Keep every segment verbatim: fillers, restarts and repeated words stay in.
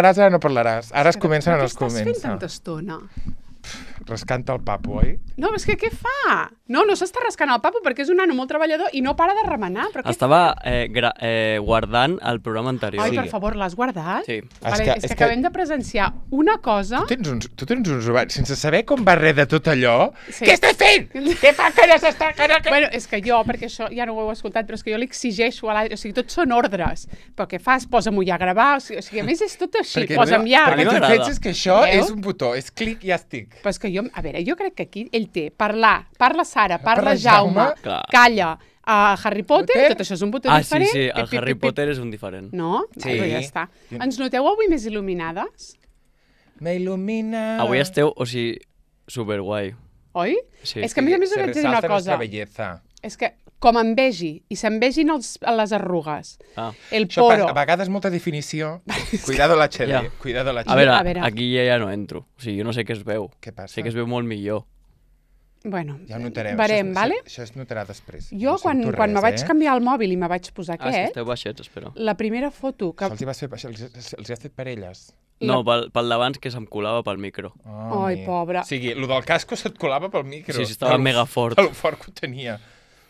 parlaràs, ara no parlaràs. Ara es comencen Però els què estàs fent comença. tanta estona? Rascant el papo, oi? No, és que què fa? No, no s'està rascant el papo perquè és un nano molt treballador i no para de remenar. Però què Estava eh, gra eh, guardant el programa anterior. Ai, Sí. per favor, l'has guardat? Sí. Vale, És és que- que, és que- acabem de presenciar una cosa... Tu tens uns, tu tens uns ovaris, sense saber com va res de tot allò. Sí. Què estàs fent? Què fa que no s'està... Que no, que... Bueno, és que jo, perquè això ja no ho heu escoltat, però és que jo li exigeixo a l'Adri, o sigui, tots són ordres. Però què fas? Posa'm-ho ja a gravar, o sigui, o sigui, a més és tot així, Perquè posa'm ja... Perquè no tu m'agrada. penses que això Veus? és un botó, és clic i ja estic. Però és que jo, a veure, jo crec que aquí ell té parlar, parla Sara, parla Parla Jaume, Jaume. Clar. calla, uh, Harry Potter, Potter. tot això és un botó Ah, sí, diferent. sí, Pip, el pip, Harry pip, pip. Potter és un diferent. No? Sí. Però ja està. Ens noteu avui més il·luminades? Me il·lumina... Avui esteu, o sigui, superguai. Oi? Sí. És que a més a més us Se vaig dir una resalta cosa. nuestra belleza. És que com em vegi i se'n vegin els, les arrugues, Ah. el Això poro... a vegades molta definició. Cuidado l'H D, Ja. cuidado l'H D. A veure, a veure. aquí ja, ja no entro. O sigui, jo no sé què es veu. Què passa? Sé que es veu molt millor. Bueno, Ja ho notarem. verem, això, vale? Això, això es notarà després. Jo, No quan, sento quan res, me vaig eh? canviar el mòbil i me vaig posar Ah, és que aquest, esteu baixets, espera. la primera foto que... Això els hi, vas fer, això els, els, els hi has fet per elles. No, pel, pel d'abans que se'm colava pel micro. Oh, Ai, mi. pobra. O sigui, el del casco se't colava pel micro. Sí, sí, estava De lo- mega fort. De lo fort que ho tenia.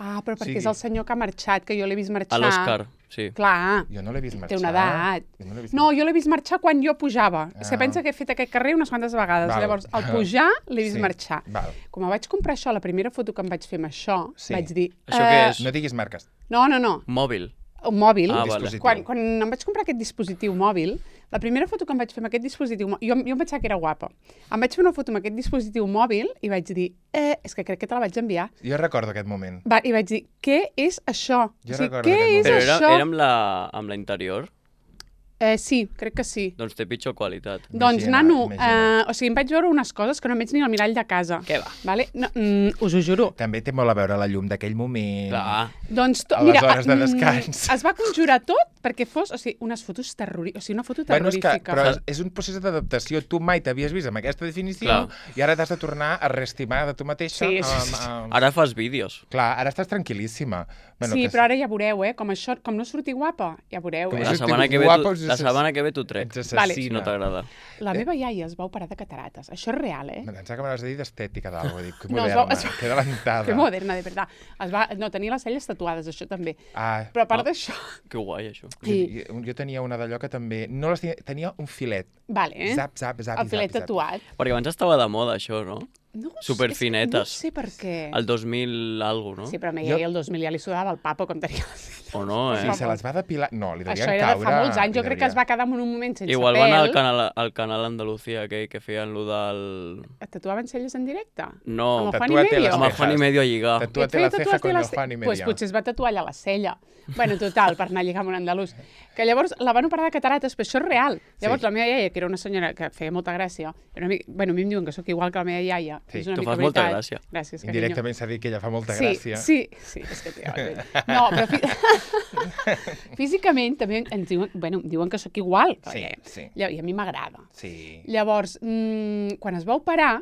Ah, però perquè sigui- és el senyor que ha marxat, que jo l'he vist marxar. A l'Òscar, sí. Clar, Jo no l'he vist marxar. té una edat. Jo no l'he vist No, jo l'he vist marxar quan jo pujava. És que Ah. pensa que he fet aquest carrer unes quantes vegades. Val. Llavors, al pujar, l'he vist Sí, marxar. val. Com vaig comprar això, la primera foto que em vaig fer amb això, Sí. vaig dir... Això què és? No diguis marques. No, no, no. Mòbil. Un mòbil. Ah, vale. Dispositiu. Quan, quan em vaig comprar aquest dispositiu mòbil, la primera foto que em vaig fer amb aquest dispositiu mòbil, jo, jo em pensava que era guapa. Em vaig fer una foto amb aquest dispositiu mòbil i vaig dir, eh, és que crec que te la vaig enviar. Jo recordo aquest moment. Va, I vaig dir, què és això? Jo o sigui, recordo què aquest és Però moment. era, això? era amb, la, amb la interior? Eh, sí, crec que sí. Doncs té pitjor qualitat. Doncs, Imagina't, nano, imagina't. eh, o sigui, em vaig veure unes coses que no em veig ni al mirall de casa. Què va? Vale? No, mm, us ho juro. També té molt a veure la llum d'aquell moment. Clar. Doncs, to, A les mira, hores de mm, descans. es va conjurar tot perquè fos, o sigui, unes fotos terrorífiques, o sigui, una foto Bueno, és que, terrorífica. però és, és un procés d'adaptació. Tu mai t'havies vist amb aquesta definició Clar. i ara t'has de tornar a reestimar de tu mateixa. Sí, sí, amb, sí. amb... Ara fas vídeos. Clar, ara estàs tranquil·líssima. Bueno, sí, que però ara ja veureu, eh? Com, això, com no surti guapa, ja veureu. Com Eh? no La surti setmana que ve guapa, t'ho- us la assass- setmana que ve t'ho trec. Ets Vale. Si assassina. no t'agrada. La meva iaia es va operar de cataractes. Això és real, eh? Em pensava que m'havies de dir d'estètica d'algú. Dic, que No, es moderna, va- es va- que adelantada. Que moderna, de veritat. Es va... No, tenia les celles tatuades, això també. Ah, Però a part Ah. d'això... Que guai, això. Sí. jo, jo tenia una d'allò que també... No les tenia, tenia un filet. Vale, eh? Zap, zap, zap, El filet zap, zap. tatuat. Perquè abans estava de moda, això, no? No ho sé, Superfinetes. és que No sé per què. El dos mil algo, no? Sí, però a mi Jo- el dos mil ja li sudava el papo com tenia les celles. O no, Sí, eh? se les va depilar... No, li devien Això era de caure... fa molts anys. Jo li crec que es devia- va quedar en un moment sense Igual pèl. van al canal, al canal Andalucía, aquell que feien lo del... Et tatuaven celles en directe? No, Amb el Juan y Tatúate Medio? las amb el cejas. Juan y Medio a lligar. Tatúate Et la feia ceja tatuar-te con el les- Juan y Pues Media. potser es va tatuar allà la cella. Bueno, total, per anar a lligar amb un andalús. Que llavors la van operar de catarates, però això és real. Llavors Sí. la meva iaia, que era una senyora que feia molta gràcia, era una mica... bueno, a mi em diuen que sóc igual que la meva iaia. Sí. És una Tu mica fas molta veritat. gràcia. Gràcies, carinyo. Indirectament s'ha dit que ella fa molta sí, gràcia. Sí, sí, és que té... No, però fi... físicament també ens diuen, bueno, em diuen que sóc igual. Sí, perquè- sí. I a mi m'agrada. Sí. Llavors, mmm, quan es va operar,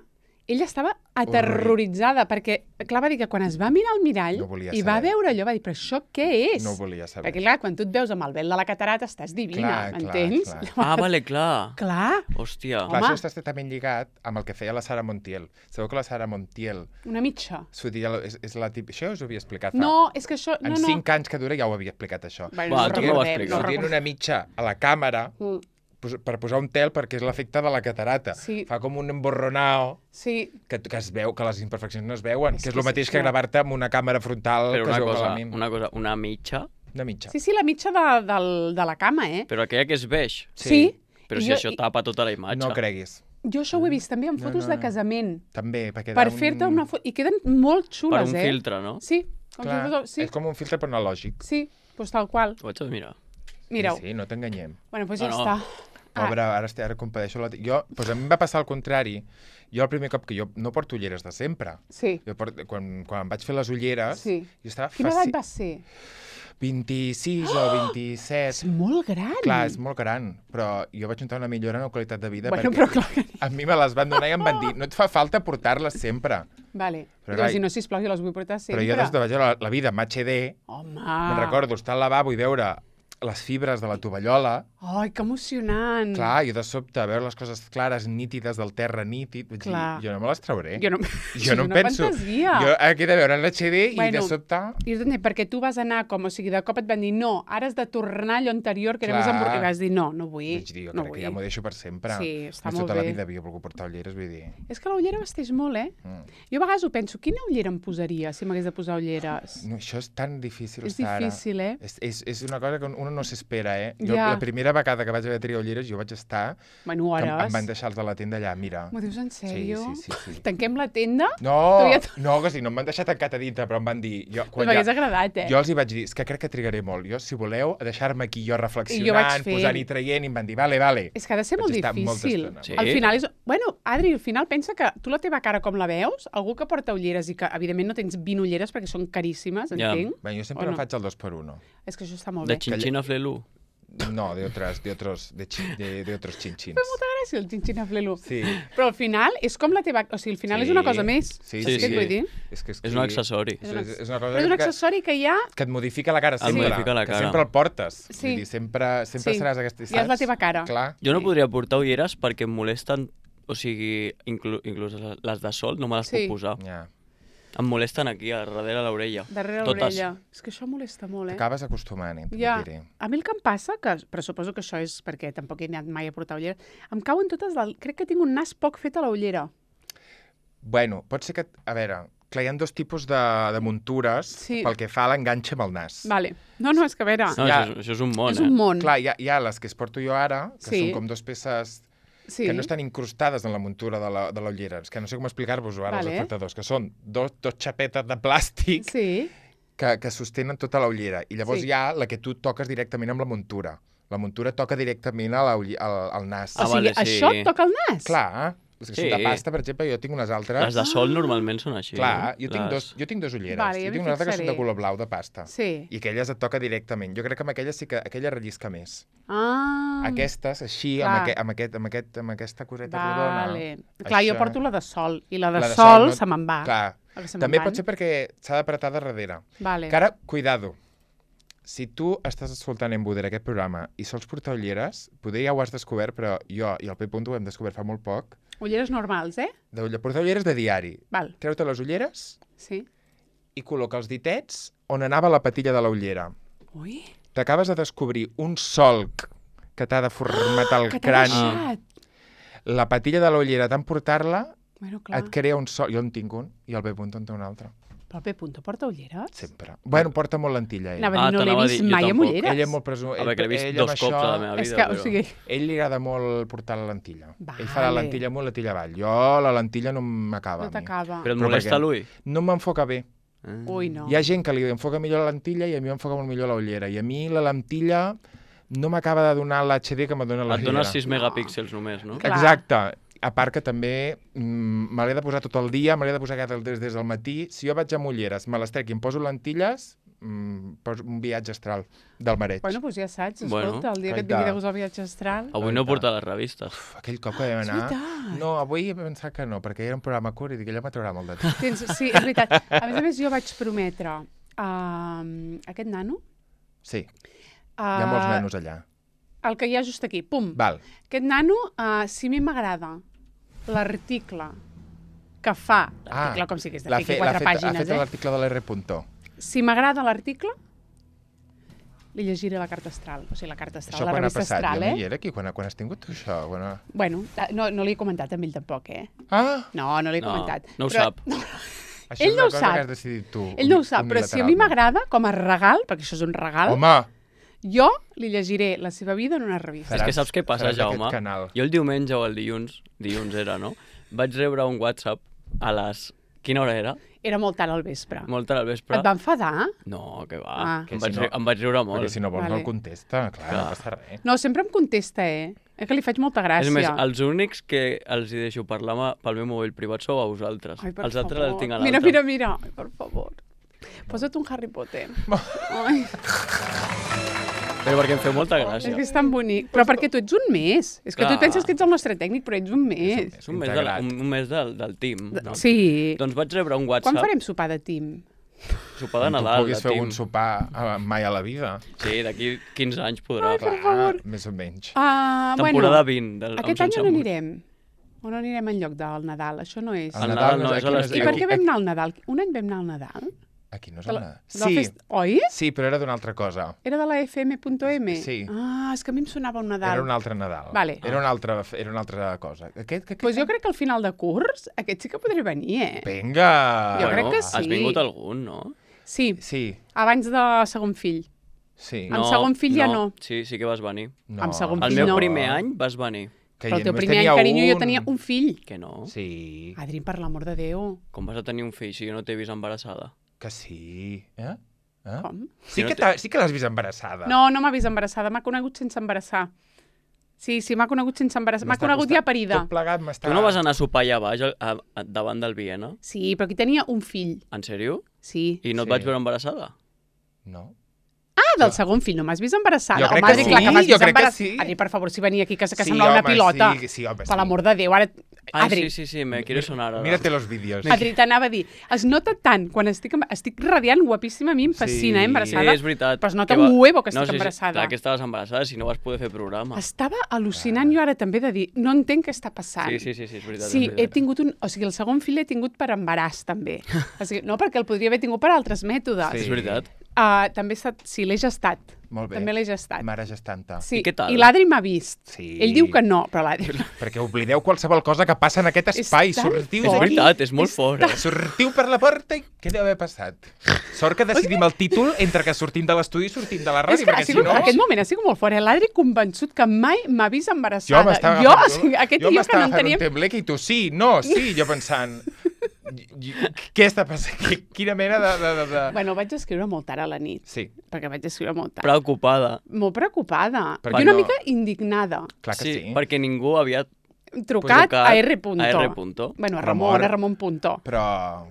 ella estava aterroritzada, perquè, clar, va dir que quan es va mirar al mirall No volia i va saber. veure allò, va dir, però això què és? No ho volia saber. Perquè, clar, quan tu et veus amb el vel de la catarata, estàs divina, Clar, clar, m'entens? clar. Ah, vale, clar. Clar, Hòstia. Clar, Home. això està estretament lligat amb el que feia la Sara Montiel. Sabeu que la Sara Montiel una mitja. s'ho deia, és, és la típica... Això us ho havia explicat fa... No, és que això... En No, no. cinc anys que dura ja ho havia explicat, això. Bueno, Va, no tu no ho recordem, expliques. no Fotien recordem. una mitja a la càmera Mm, pos- per posar un tel perquè és l'efecte de la catarata. Sí. Fa com un emborronao sí, que, que es veu, que les imperfeccions no es veuen, És que és que el sí, mateix que no. gravar-te amb una càmera frontal Però que una es veu cosa, malament. una cosa, una mitja, Una mitja. sí, sí, la mitja de, del, de la cama, eh? però aquella que és beix. Sí. Però I si jo- això i- tapa tota la imatge. No creguis. Jo això ho he vist també en No, fotos no, de no. casament. També, perquè Per da un... fer-te una foto... I queden molt Per xules, un eh? filtre, no? Sí, com Clar, si fos... Sí, és com un filtre però analògic. sí, doncs tal qual. Ho vaig a mirar. Mireu. Sí, sí, no t'enganyem. Bueno, doncs No, ja no. està. Pobre, ara, estic, ara compadeixo la... Jo, doncs a mi em va passar el contrari. Jo el primer cop que jo no porto ulleres de sempre. Sí. Jo port... quan, quan em vaig fer les ulleres, Sí. jo estava Quina faci... edat va ser? vint-i-sis o vint-i-set. És molt gran. Clar, és molt gran, però jo vaig notar una millora en la qualitat de vida Bueno, perquè però clar que... a mi me les van donar i em van dir no et fa falta portar-les sempre. Vale. Però, Però, clar, si no, sisplau, jo les vull portar sempre. Però jo des de veure la, la vida en H D, Home. me'n recordo estar al lavabo i veure les fibres de la tovallola. Ai, que emocionant. Clar, jo de sobte, veure les coses clares, nítides, del terra nítid, vaig dir, Clar. jo no me les trauré. Jo no, Jo no és em una penso. fantasia. Jo aquí he de veure en l'H D i Bueno, de sobte... I és perquè tu vas anar com, o sigui, de cop et van dir no, ara has de tornar a allò anterior que era Clar. més embor... I vas dir no, no vull. Vaig dir, jo no crec vull. que ja m'ho deixo per sempre. Sí, està Més molt tota la bé. vida havia volgut portar ulleres, vull dir... És que la ullera vesteix molt, eh? Mm. Jo a vegades ho penso, quina ullera em posaria si m'hagués de posar ulleres? No, això és tan difícil, És Sara. difícil, eh? És, és, és una cosa que uno no s'espera, eh? Jo, Ja. la primera vegada que vaig haver de triar ulleres, jo vaig estar... Bueno, Que em, hores. em van deixar els de la tenda allà, mira. M'ho dius en sèrio? Sí, sí, sí, sí. Tanquem la tenda? No, Tu ja- no, que sí, no em van deixar tancat a dintre, però em van dir... Jo, Pues m'hagués agradat, eh? Jo els hi vaig dir, és que crec que trigaré molt. Jo, si voleu, a deixar-me aquí jo I jo vaig reflexionant, fent. posant i traient, i em van dir, vale, vale. És que ha de ser Vaig molt estar molta difícil. estona. Sí. Al final és... Bueno, Adri, al final pensa que tu la teva cara com la veus, algú que porta ulleres i que, evidentment, no tens vint ulleres perquè són caríssimes, Ja. entenc. Bé, jo sempre O em no? faig el dos per uno. És que això està molt De bé. Chinchina Flelu. No, de otros, de otros, de, chi, de, de otros chinchins. Fa molta gràcia el xinxina flelu. Sí. Però al final és com la teva... O sigui, al final Sí. és una cosa més. Sí, Sí, Saps què et sí. vull dir? És, que, és, És un accessori. És, és, és una Però cosa és un que, accessori que hi ha... que et modifica la cara Et sempre. modifica la Que cara. sempre el portes. Sí. Vull dir, sempre, sempre Sí. seràs aquesta... Ja és la teva cara. Clar. Jo no Sí. podria portar ulleres perquè em molesten, o sigui, inclu inclús les de sol no me les Sí. puc posar. Ja. Em molesten aquí, a darrere l'orella. Darrere Totes. l'orella. És que això molesta molt, eh? T'acabes acostumant, eh? Ja. Ja. Diré. A mi el que em passa, que, però suposo que això és perquè tampoc he anat mai a portar ulleres, em cauen totes... Del... Crec que tinc un nas poc fet a la ullera. Bueno, pot ser que... A veure, clar, hi ha dos tipus de, de muntures Sí. pel que fa a l'enganxe amb el nas. Vale. No, no, és que a veure... No, Ja. això, és, això és un món, és un eh? món. Clar, hi ha, hi ha les que es porto jo ara, que Sí. són com dos peces sí. que no estan incrustades en la muntura de la, de la ullera. És que no sé com explicar-vos-ho ara, Vale. als espectadors, que són dos, dos xapetes de plàstic Sí. que, que sostenen tota la ullera. I llavors Sí. hi ha la que tu toques directament amb la muntura. La muntura toca directament a la, ull- al, al nas. O Ah, sigui, vale, sí. això et toca el nas? Clar, les que Sí. són de pasta, per exemple, jo tinc unes altres... Les de sol normalment són així. Clar, eh? jo tinc, Les- dos, jo tinc dos ulleres. Vale, ja jo m'hi tinc una altra que són de fixaré. color blau de pasta. Sí. I aquelles et toca directament. Jo crec que amb aquelles sí que aquella rellisca més. Ah. Aquestes, així, Clar. amb, aqu amb, aquest, amb, aquest, amb aquesta coseta rodona... Vale. Clar, jo això- porto la de sol, i la de, La de sol, no- se me'n va. Clar. La que se me'n També van. pot ser perquè s'ha d'apretar de darrere. Vale. Que ara, cuidado, si tu estàs escoltant en Buder aquest programa i sols portar ulleres, poder ja ho has descobert, però jo i el P. Punto ho hem descobert fa molt poc, Ulleres normals, eh? de ulle- portar ulleres de diari. Val. Treu-te les ulleres Sí. i col·loca els ditets on anava la patilla de la ullera. Ui, T'acabes de descobrir un solc que t'ha de formatar el que t'ha crani. deixat. La patilla de la ullera, tant portar-la, Bueno, clar. et crea un solc. Jo en tinc un i el P. Punto en té un altre. Però el P. Punto porta ulleres? Sempre. Bueno, porta molt lentilla, ell. Anava a dir, no l'he t'anava a vist dir, jo mai amb tampoc. ulleres. Ell és molt presumpte. A veure, que l'he vist ell dos amb cops a la això- meva És vida, que, però... o sigui, Ell li agrada molt portar la lentilla. Vale. Ell fa la lentilla amunt, la lentilla avall. Jo la lentilla no m'acaba. no a mi. t'acaba. Però et Però molesta perquè- l'ull? No m'enfoca bé. Ah. Ui, no. Hi ha gent que li enfoca millor la lentilla i a mi m'enfoca molt millor la ullera. I a mi la lentilla no m'acaba de donar l'H D que me dona la Et ullera. dones sis megapíxels només, no? Clar. Exacte. A part que també mm, me l'he de posar tot el dia, me l'he de posar cada des, des del matí. Si jo vaig amb ulleres, me les trec i em poso lentilles, mm, poso un viatge astral del mareig. Bueno, doncs ja saps, Bueno, escolta, el dia que et caita. vingui de gust al viatge astral... Avui no porta les revistes. Uf, aquell cop que vam És anar... veritat. No, avui he pensat que no, perquè era un programa curt i dic, ella m'atraurà molt de temps. Tens, sí, és veritat. A més a més, jo vaig prometre a uh, aquest nano... Sí, Uh, hi ha molts nanos allà. El que hi ha just aquí, pum. Val. Aquest nano, uh, si a mi m'agrada l'article que fa, l'article com si hagués de l'ha fer aquí fe- l'ha quatre fet, ha pàgines, fet eh? l'article de l'R. Punto. Si m'agrada l'article, li llegiré la carta astral, o sigui, la carta astral, Això la quan ha revista passat? astral, Jo no eh? hi era aquí, quan, quan has tingut tu això? Quan... Bueno, no, no li he comentat a ell tampoc, eh? Ah! No, no li he No, comentat. no ho Però- sap. Això Ell és una no ho cosa sap. que has decidit tu. Ell no ho sap, però si a mi unilateralment. m'agrada, com a regal, perquè això és un regal, Home! jo li llegiré la seva vida en una revista. És que saps què passa, seràs d'aquest Jaume? canal. Jo el diumenge o el dilluns, dilluns era, no? Vaig rebre un WhatsApp a les... Quina hora era? Era molt tard al vespre. Molt tard al vespre. Et va enfadar? No, que va. Ah. Que em, Que vaig, si no- ri- em vaig riure molt. Perquè si no vols Vale. no el contesta, clar, Clar. no passa res. No, sempre em contesta, eh? És que li faig molta gràcia. És més, els únics que els hi deixo parlar ma- pel meu mòbil privat sou a vosaltres. Ai, per els altres favor. els tinc a Mira, l'altre. mira, mira. Ai, per favor. Posa't un Harry Potter. Ai, Però perquè em feu molta és gràcia. que és tan bonic. Però perquè tu ets un més. És que tu Clar. et penses que ets el nostre tècnic, però ets un més. És un mes, del, Integrat. un, un mes del, del team. No? Sí. Doncs vaig rebre un Quan WhatsApp. farem sopar de team? Sopar de Quan Nadal, tu puguis de fer Tim. un sopar uh, mai a la vida. Sí, d'aquí quinze anys podrà. Ai, per Clar, favor. més o menys. Uh, Temporada bueno, vint. Del, aquest any on anirem? On anirem en lloc del Nadal? Això no és... El Nadal no és a aquí l'estiu. I per aquí- què vam anar al Nadal? Un any vam anar al Nadal? Aquí no és De el la, Nadal. de la Sí, fest... Oi? sí, però era d'una altra cosa. Era de la F M punto M? Sí. Ah, és que a mi em sonava un Nadal. Era un altre Nadal. Vale. Era una altra, era una altra cosa. Aquest, aquest, Pues jo crec que al final de curs aquest sí que podria venir, eh? Vinga! Jo Bueno, crec que sí. Has vingut algun, no? Sí, Sí, abans de segon fill. sí. Amb segon fill ja no. Sí, sí que vas venir. No. amb segon El fill meu no. primer any vas venir. Que Però el ja teu només primer any, tenia carinyo, jo un. tenia un fill. Que no? Sí, Adri, per l'amor de Déu. Com vas a tenir un fill si jo no t'he vist embarassada? que sí. Eh? Eh? Com? Sí Si no que, té- t'ha- sí que l'has vist embarassada. No, no m'ha vist embarassada, m'ha conegut sense embarassar. Sí, sí, m'ha conegut sense embarassar. M'ha M'està conegut costant- ja parida. Tot plegat m'està... Tu no vas anar a sopar allà baix, a, a, a, davant del Viena? Sí, però aquí tenia un fill. En sèrio? Sí. I no et Sí. vaig veure embarassada? No. Ah, del segon fill, no m'has vist embarassada? Jo crec Home, que Adri, sí, clar que m'has jo vist crec que embarassada. sí. Adri, per favor, si venia aquí, que, que Sí, sembla una home, pilota. sí, sí, home, Per sí. l'amor de Déu, ara... Ai, Adri, sí, sí, sí, me quiere sonar ara. Mírate los vídeos. Adri, t'anava a dir, es nota tant quan estic, em- estic radiant, guapíssima, a mi em fascina, Sí. eh, Sí, embarassada. és veritat. Però es nota Que un huevo que no, estic sí, sí, embarassada. Clar que estaves embarassada, si no vas poder fer programa. Estava al·lucinant jo ara també de dir, no entenc què està passant. Sí, sí, sí, sí, és veritat. Sí, és he veritat. tingut un... O sigui, el segon fill l'he tingut per embaràs, també. O sigui, no, perquè el podria haver tingut per altres mètodes. Sí. És veritat. Uh, també he estat... Sí, l'he gestat. Molt bé. També l'he gestat. Mare gestanta. Sí. I què tal? I l'Adri m'ha vist. Sí. Ell diu que no, però l'Adri... Perquè oblideu qualsevol cosa que passa en aquest És espai. tan Sortiu És fort. d'aquí. veritat, és molt És fort. eh? Sortiu per la porta i què deu haver passat? Sort que decidim el títol entre que sortim de l'estudi i sortim de la És ràdio, que ha perquè si sigut, no... aquest moment ha sigut molt fort. eh? L'Adri convençut que mai m'ha vist Jo embarassada. m'estava jo, o agafant- sigui, aquest jo tio que m'estava no fent enteníem... un tembleque i tu sí, no, sí, jo pensant... i- i- Què està passant? Qui- Quina mena de... de, de, de... Bueno, vaig escriure molt tard a la nit, Sí, perquè vaig escriure molt tard. Preocupada. Molt preocupada. Perquè I una no- mica indignada. clar que sí. perquè ningú havia Trucat, trucat a R. Punto. a R. Punto. Bueno, a Ramon. Ramon, a Ramon Punto. Però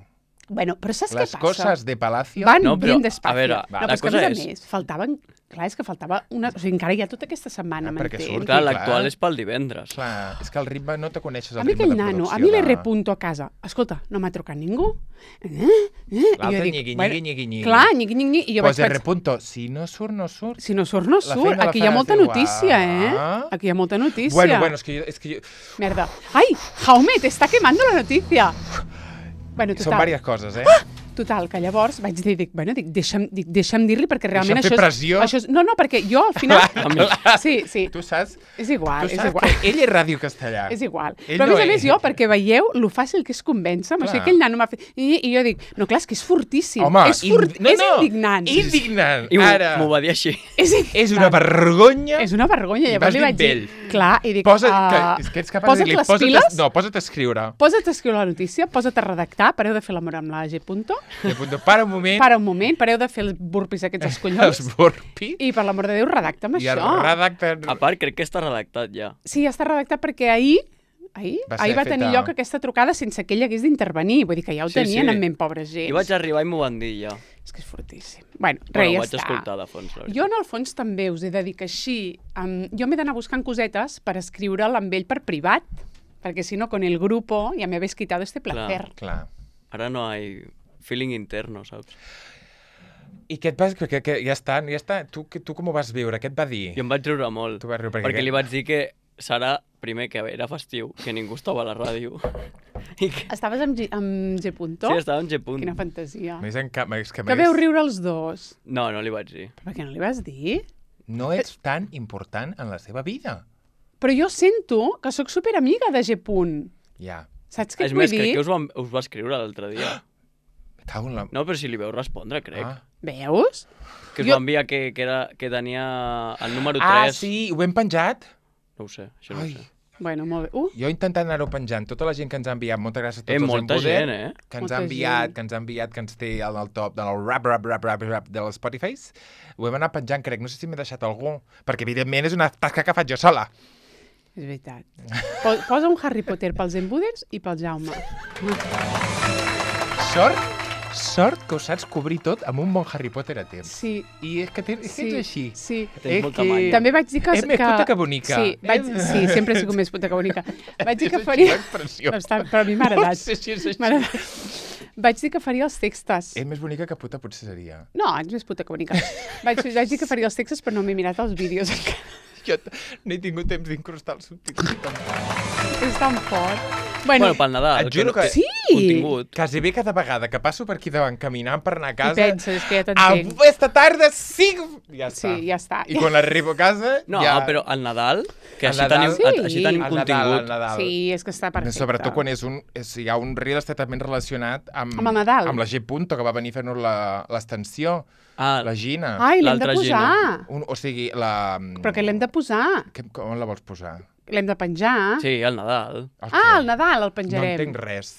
Bueno, però saps les què passa? coses de Palacio... Van No, però, bien despacio. a veure, no, la però és que, a cosa més a és- més, faltaven... Clar, és que faltava una... O sigui, encara hi ha tota aquesta setmana, Ah, perquè m'entens? surt. Clar, clar. l'actual és pel divendres. Clar, és que el ritme no te coneixes el A mi ritme aquell de nano, producció. a mi l'R. de- Punto a casa. Escolta, no m'ha trucat ningú. Eh? Eh? I jo L'altre dic, nyigui, bueno, nyigui, nyigui, nyigui. Clar, nyigui, nyigui. I jo Pues vaig R. pensar, Punto, si no surt, no surt. si no surt, no La surt. feina la Aquí hi ha faràs molta igual. notícia, eh? Aquí hi ha molta notícia. Bueno, bueno, és que jo... És que jo... Merda. Ai, Jaume, te está quemando la noticia. Bueno, Són total. diverses coses, eh? Total, que llavors vaig dir, dic, bueno, dic, deixa'm, dic, deixa'm dir-li perquè realment Deixa'm fer això és... pressió. Això és... No, no, perquè jo al final... Sí, sí, Tu saps, és igual, tu és saps igual. que ell és ràdio castellà. És igual. Ell Però a més no a més és. jo, perquè veieu lo fàcil que és convèncer-me, o sigui, Clar. aquell nano m'ha fet... I, I jo dic, no, clar, és que és fortíssim. Home, és, furt... indi- no, és no, indignant. Indignant. I m'ho Ara, m'ho va dir així. És, indignant. és una vergonya. És una vergonya. I Llavors vas li dir vaig dir... amb ell. Clar, i dic... Posa, uh, que, és que ets capaç posa't de dir-li, les posa't, piles, a, no, posa't a escriure. posa't a escriure la notícia, posa't a redactar, pareu de fer l'amor amb la G. Punto, I apunto, para un moment, para un moment, pareu de fer els burpis aquests als els collons, burpis, i per l'amor de Déu, redacta'm i això. redacten... A part, crec que està redactat ja. Sí, ja està redactat perquè ahir ahir Va va, ser ahir va feta- tenir lloc aquesta trucada sense que ell hagués d'intervenir. Vull dir que ja ho Sí, tenien sí. en ment, pobra gent. I vaig arribar i m'ho van dir ja. És que és fortíssim. Bueno, res, Bueno, ja ho vaig està. escoltar de fons. la veritat. Jo, en el fons, també us he de dir que així... Um, jo m'he d'anar buscant cosetes per escriure'l amb ell per privat, perquè si no, con el grupo ja me habéis quitado este placer. Clar. Ara no hay feeling interno, saps? I què et vas... Que, que, ja està, ja està. Tu, que, tu com ho vas viure? Què et va dir? Jo em vaig riure molt. Tu vas riure perquè... Perquè li vaig dir que serà, primer, que era festiu, que ningú estava a la ràdio. I que... Estaves amb G, amb G. Punto? Sí, estava en G. Punt. Quina fantasia. Més en cap... És que, Que més, veu riure els dos. No, no li vaig dir. Però per què no li vas dir? no ets tan important en la seva vida. Però jo sento que sóc superamiga de G. Punt. Ja. Saps què És et vull més, dir? crec que us, va, us va escriure l'altre dia. Me cago en la... No, però si li veu respondre, crec. Ah. Veus? Que us Jo- va enviar que, que, era, que tenia el número Ah, tres. sí, ho hem penjat? No ho sé, això no Ai. ho sé. Bueno, molt bé. Uh, Jo intentant anar-ho penjant. Tota la gent que ens ha enviat, moltes gràcies a tots Eh, els molta Empoder, gent, eh? que ens Molta ha enviat, gent. que ens ha enviat, que ens té al top del rap, rap, rap, rap, rap de les Spotify. Ho hem anat penjant, crec. No sé si m'he deixat algú, perquè evidentment és una tasca que faig jo sola. és veritat. Po- Posa un Harry Potter pels Embuders i pel Jaume. Sort, sort que ho saps cobrir tot amb un bon Harry Potter a temps. Sí, I és que, té, és, que sí, ets així. sí. Tens És molta que- manya. També vaig dir que... És més puta que bonica. Sí, vaig... És- sí, sempre he sigut més puta que bonica. Vaig dir que És faria... l'expressió. No, està... Però a mi m'ha No agradat. sé si és així. M'ha agradat. Vaig dir que faria els textos. És més bonica que puta potser seria. No, ets més puta que bonica. Vaig, vaig dir que faria els textos, però no m'he mirat els vídeos encara. Jo no he tingut temps d'incrustar els subtítols. És tan fort. Bueno, Bueno, pel Nadal. Et juro que- Sí! Contingut. Quasi bé cada vegada que passo per aquí davant caminant per anar a i casa... penses, és que ja t'entenc. Avui, esta tarda, sí! Ja Sí, està. ja està. I quan arribo a casa... No, ja... però al Nadal, que Al així Nadal- tenim, Sí. així tenim Al Nadal, contingut. al Nadal. Sí, és que està perfecte. Sobretot quan és un, és, hi ha un reel estretament relacionat amb, Amb el Nadal. amb la G. Punto, que va venir a fer-nos la- l'extensió, Ah, la Gina. Ai, l'hem de L'altra posar. Un, o sigui, la... Però que l'hem de posar. Que, com la vols posar? L'hem de penjar. sí, al Nadal. El Ah, què? al Nadal el No penjarem. entenc res.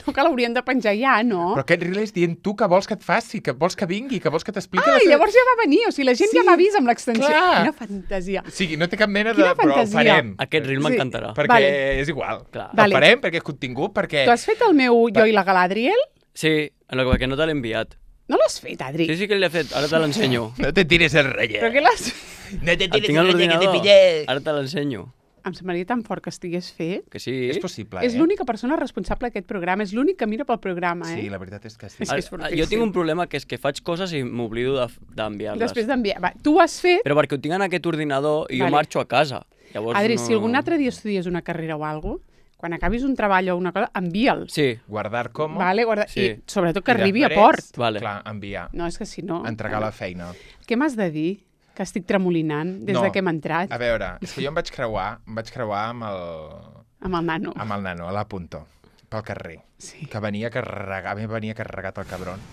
No, que l'hauríem de penjar ja, no? Però aquest reel és dient tu que vols que et faci, que vols que vingui, que vols que t'expliqui... Ai, la seva- llavors ja va venir. O sigui, la gent Sí, ja m'ha vist amb l'extensió. clar. Quina fantasia. O sigui, no té cap mena de... Quina Però el fantasia. farem. Aquest reel Sí. m'encantarà. Perquè Vale. és igual. Clar. Vale. El farem perquè és contingut, perquè... Tu has fet el meu Jo i la Galadriel? Sí, en el que no te l'he enviat. No l'has fet, Adri? Sí, sí que l'he fet, ara te l'ensenyo. No te tires el rotllet. Però què l'has... No te El tires tinc el a rotllet que te l'ordinador, pillé. ara te l'ensenyo. Em semblaria tan fort que estigués fet. Que sí. És possible, És eh? l'única persona responsable d'aquest programa. És l'únic que mira pel programa, eh? Sí, la veritat és que sí. És que és Ara, fortíssim. jo tinc un problema que és que faig coses i m'oblido de- d'enviar-les. Després d'enviar... Va, tu ho has fet... Però perquè ho tinc en aquest ordinador i Vale. jo marxo a casa. Llavors Adri, no... si algun altre dia estudies una carrera o alguna cosa, quan acabis un treball o una cosa, envia'l. Sí, Guardar com... Vale, guarda... Sí. I sobretot que I arribi a després, port. Vale. Clar, enviar. No, és que si no... Entregar la feina. Què m'has de dir? Que estic tremolinant des No. de que hem entrat A veure, és que jo em vaig creuar, em vaig creuar amb el, amb el nano. amb el nano, a la Punto, pel carrer. Sí. Que venia carregat, a mi venia carregat el cabron.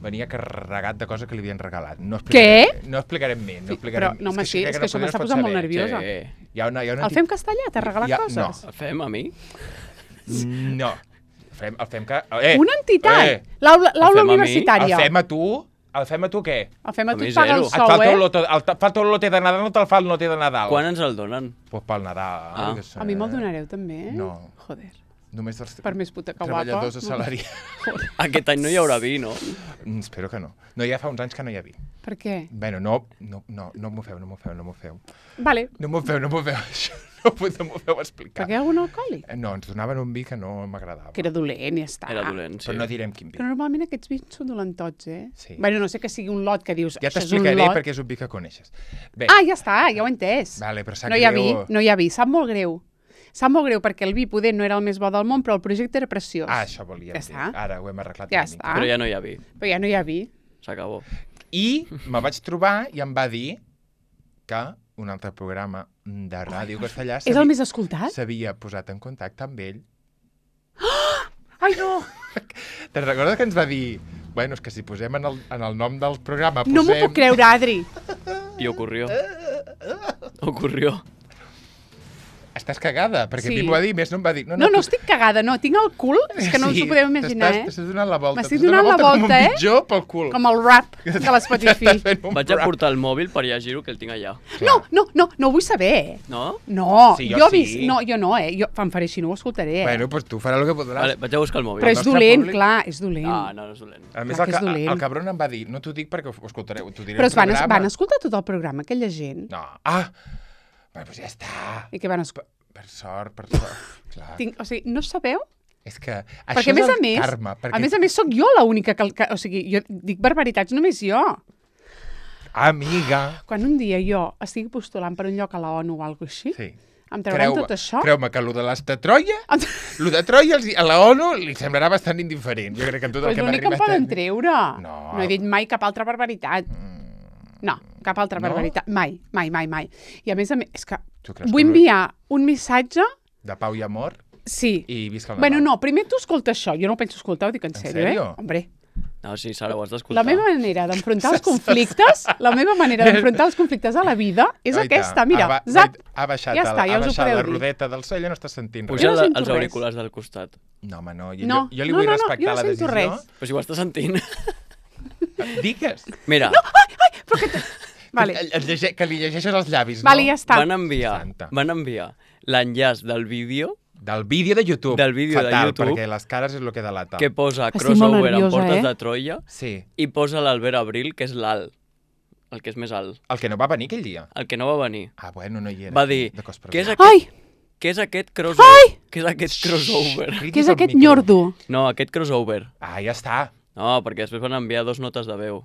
Venia carregat de coses que li havien regalat. No explicaré, No explicarem més, no explicarem. Però, no, home, És sí, crec és que això no m'està es pot posant molt saber. nerviosa. Sí. Hi ha una, hi ha una El fem castellà? T'ha regalat Ja- coses? El fem a mi? No. El fem, el fem que... Eh, Una entitat! Eh, L'aula El l'aula fem a mi? el universitària. fem a tu? El fem a tu què? El fem a A tu mi et paga el zero. Et sou, falta eh? el lote, el, falta el lote de Nadal, no te'l fa el lote de Nadal. Quan ens el donen? Pues pel Nadal. Ah. que sé. A mi me'l donareu també, eh? No. Joder. Només els Per més puta que guapa. treballadors assalariats. Aquest any no hi haurà vi, no? Mm, Espero que no. No, ja fa uns anys que no hi ha vi. Per què? Bueno, no, no, no, no m'ho feu, no m'ho feu, no m'ho feu. Vale. No m'ho feu, no m'ho feu, això no m'ho no m'ho feu explicar. Per què algun alcohòlic? Eh, No, ens donaven un vi que no m'agradava. Que era dolent, ja està. Era dolent, sí. Però no direm quin vi. Però normalment aquests vins són dolentots, eh? Sí. Bueno, no sé que sigui un lot que dius... Ja això és un t'explicaré lot. perquè és un vi que coneixes. Bé, Ah, ja està, ja ho he entès. vale, però sap No hi ha vi, greu... no hi ha vi. Sap molt greu. Sap molt greu perquè el vi poder no era el més bo del món, però el projecte era preciós. Ah, això volíem Ja dir. està. Ara ho hem arreglat Ja una mica. està. Però ja no hi ha vi. Però ja no hi ha vi. S'acabó. I me vaig trobar i em va dir que un altre programa de ràdio castellà És el més escoltat? s'havia posat en contacte amb ell. Ai, no! Te'n recordes que ens va dir bueno, és que si posem en el, en el nom del programa No m'ho posem... puc creure, Adri. I ocurrió. Ocurrió. Estàs cagada, perquè Sí. sí. a mi m'ho va dir, més no em va dir. No, no, estic cagada, no. Tinc el cul, és que no us ho podeu imaginar, t'estàs- eh? T'estàs donant la volta. M'estic t'estàs donant donant la com volta, un eh? pitjor pel cul. Com el rap de l'Spotify. Estàs fent un Vaig a rap. portar el mòbil per llegir-ho, que el tinc allà. No, no, no, no ho vull saber, eh? No? No, Sí, jo, jo he vist... sí. No, jo no, eh? Jo em faré així, no ho escoltaré, eh? Bueno, doncs tu faràs el que podràs. Vale, vaig a buscar el mòbil. Però és nostre dolent, públic- clar, és dolent. Ah, no, no és dolent. A més, clar el, que és ca- dolent. el cabron em va dir, no t'ho dic perquè ho escoltareu, t'ho diré Però al es van, programa. van escoltar tot el programa, aquella gent. No. Ah, bueno, doncs ja està. I que van escoltar... Per sort, per sort. Clar. Tinc, o sigui, no sabeu? És que això Perquè, a més és a el més, karma. Perquè... a més a més, sóc jo l'única que, que... O sigui, jo dic barbaritats només jo. Amiga. Quan un dia jo estigui postulant per un lloc a la ONU o alguna així, Sí. em trauran Creu-me- tot això... Creu-me que lo de les de Troia, Em... lo de Troia els- a la ONU li semblarà bastant indiferent. Jo crec que en tot Però el és que m'ha l'únic que em arribat... poden a- treure. No. No he dit mai cap altra barbaritat. No, cap altra No? barbaritat. Mai, mai, mai, mai. I a més a més, és que Tu creus vull que- enviar un missatge... De pau i amor Sí. i visca el Nadal. Bueno, no, primer tu escolta això. Jo no ho penso escoltar, ho dic en, En sèrio, sèrio? eh? Hombre, No, sí, Sara, ho has la d'escoltar. meva manera d'enfrontar els conflictes, la meva manera d'enfrontar els conflictes a la vida és Guaita, aquesta. Mira, ha, ba- zap, ha baixat, ja el- està, ja ha us ho baixat podeu la dir. rodeta del so i ja no estàs sentint res. Puja Jo no la- sento els res. auriculars del costat. No, home, no. Jo, No, jo, jo li no, vull no, no, respectar jo no la sento decisió. res. Però si ho estàs sentint. Digues. Mira, Vale. Que, et llige, que li llegeixes els llavis, Vale, ja no? està. van enviar, Santa. van enviar l'enllaç del vídeo Del vídeo de YouTube. Del vídeo de Fatal, YouTube. perquè les cares és el que delata. que posa Estic molt crossover amb nerviosa, Portes eh? de Troia Sí. i posa l'Albert Abril, que és l'alt, el que és més alt, El que no va venir aquell dia. el que no va venir. Ah, bueno, no hi era. Va dir, De cos per què és ver. aquest? Ai, Què és aquest crossover? Què és aquest crossover? Què és aquest nyordo? No, aquest crossover. Ah, ja està. No, perquè després van enviar dos notes de veu.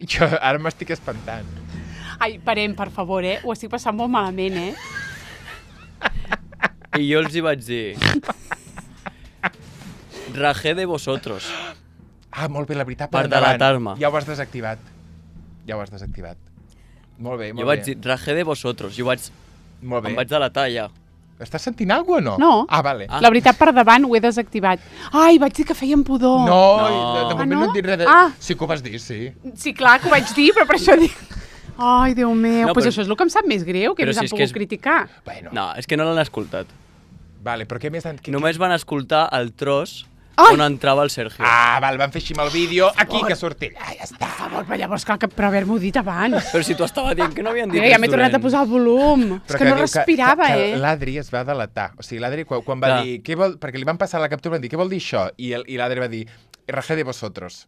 Jo ara m'estic espantant. Ai, parem, per favor, eh? Ho estic passant molt malament, eh? I jo els hi vaig dir... Rajé de vosotros. Ah, molt bé, la veritat, Per endavant. delatar-me. Ja ho has desactivat. Ja ho has desactivat. Molt bé, molt Jo bé. vaig dir, rajé de vosotros. Jo vaig... Molt bé. Em vaig delatar ja. Estàs sentint alguna cosa o no? No. Ah, vale. Ah. La veritat, per davant ho he desactivat. Ai, vaig dir que feien pudor. No, No. de, de Ah, moment no? no et dic res de... Ah. Sí que ho vas dir, sí. Sí, clar que ho vaig dir, però per això dic... Ai, Déu meu, No, doncs però- això és el que em sap més greu, que Però més si han és que pogut és- criticar. Bueno, No, és que no l'han escoltat. vale, però què més... Han... Què, Només van escoltar el tros Ai! on entrava el Sergio. Ah, val, van fer així amb el vídeo. Aquí, que surti allà, ja està. Per favor, però llavors cal que, per haver-m'ho dit abans. Però si tu estava dient que no havien dit Mira, ja res m'he tornat a dolent. posar el volum. És Però que no diu respirava, que, que eh? L'Adri es va delatar. O sigui, l'Adri, quan, quan va Clar. dir... Què vol... Perquè li van passar la captura, van dir, què vol dir això? I, el, i l'Adri va dir, rajé de vosotros.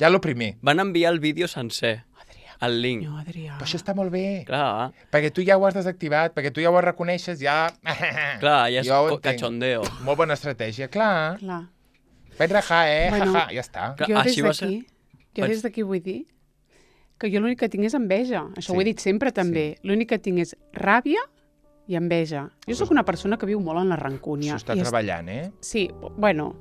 Ja lo primer. Van enviar el vídeo sencer, Adrià, el link. no, Adrià. Però això està molt bé. Clar, Perquè tu ja ho has desactivat, perquè tu ja ho reconeixes, ja... clar, ja és Jo ho co- entenc. cachondeo. Molt bona estratègia, clar. Clar. Vaig rajar, eh? Bueno. Jaja, ja està. Clar, Jo des així va ser. d'aquí, jo Vaig- des d'aquí vull dir que jo l'únic que tinc és enveja. Això Sí. ho he dit sempre, també. L'únic que tinc és ràbia i enveja. Jo sóc una persona que viu molt en la rancúnia. S'ho està I és- treballant, eh? Sí, bueno,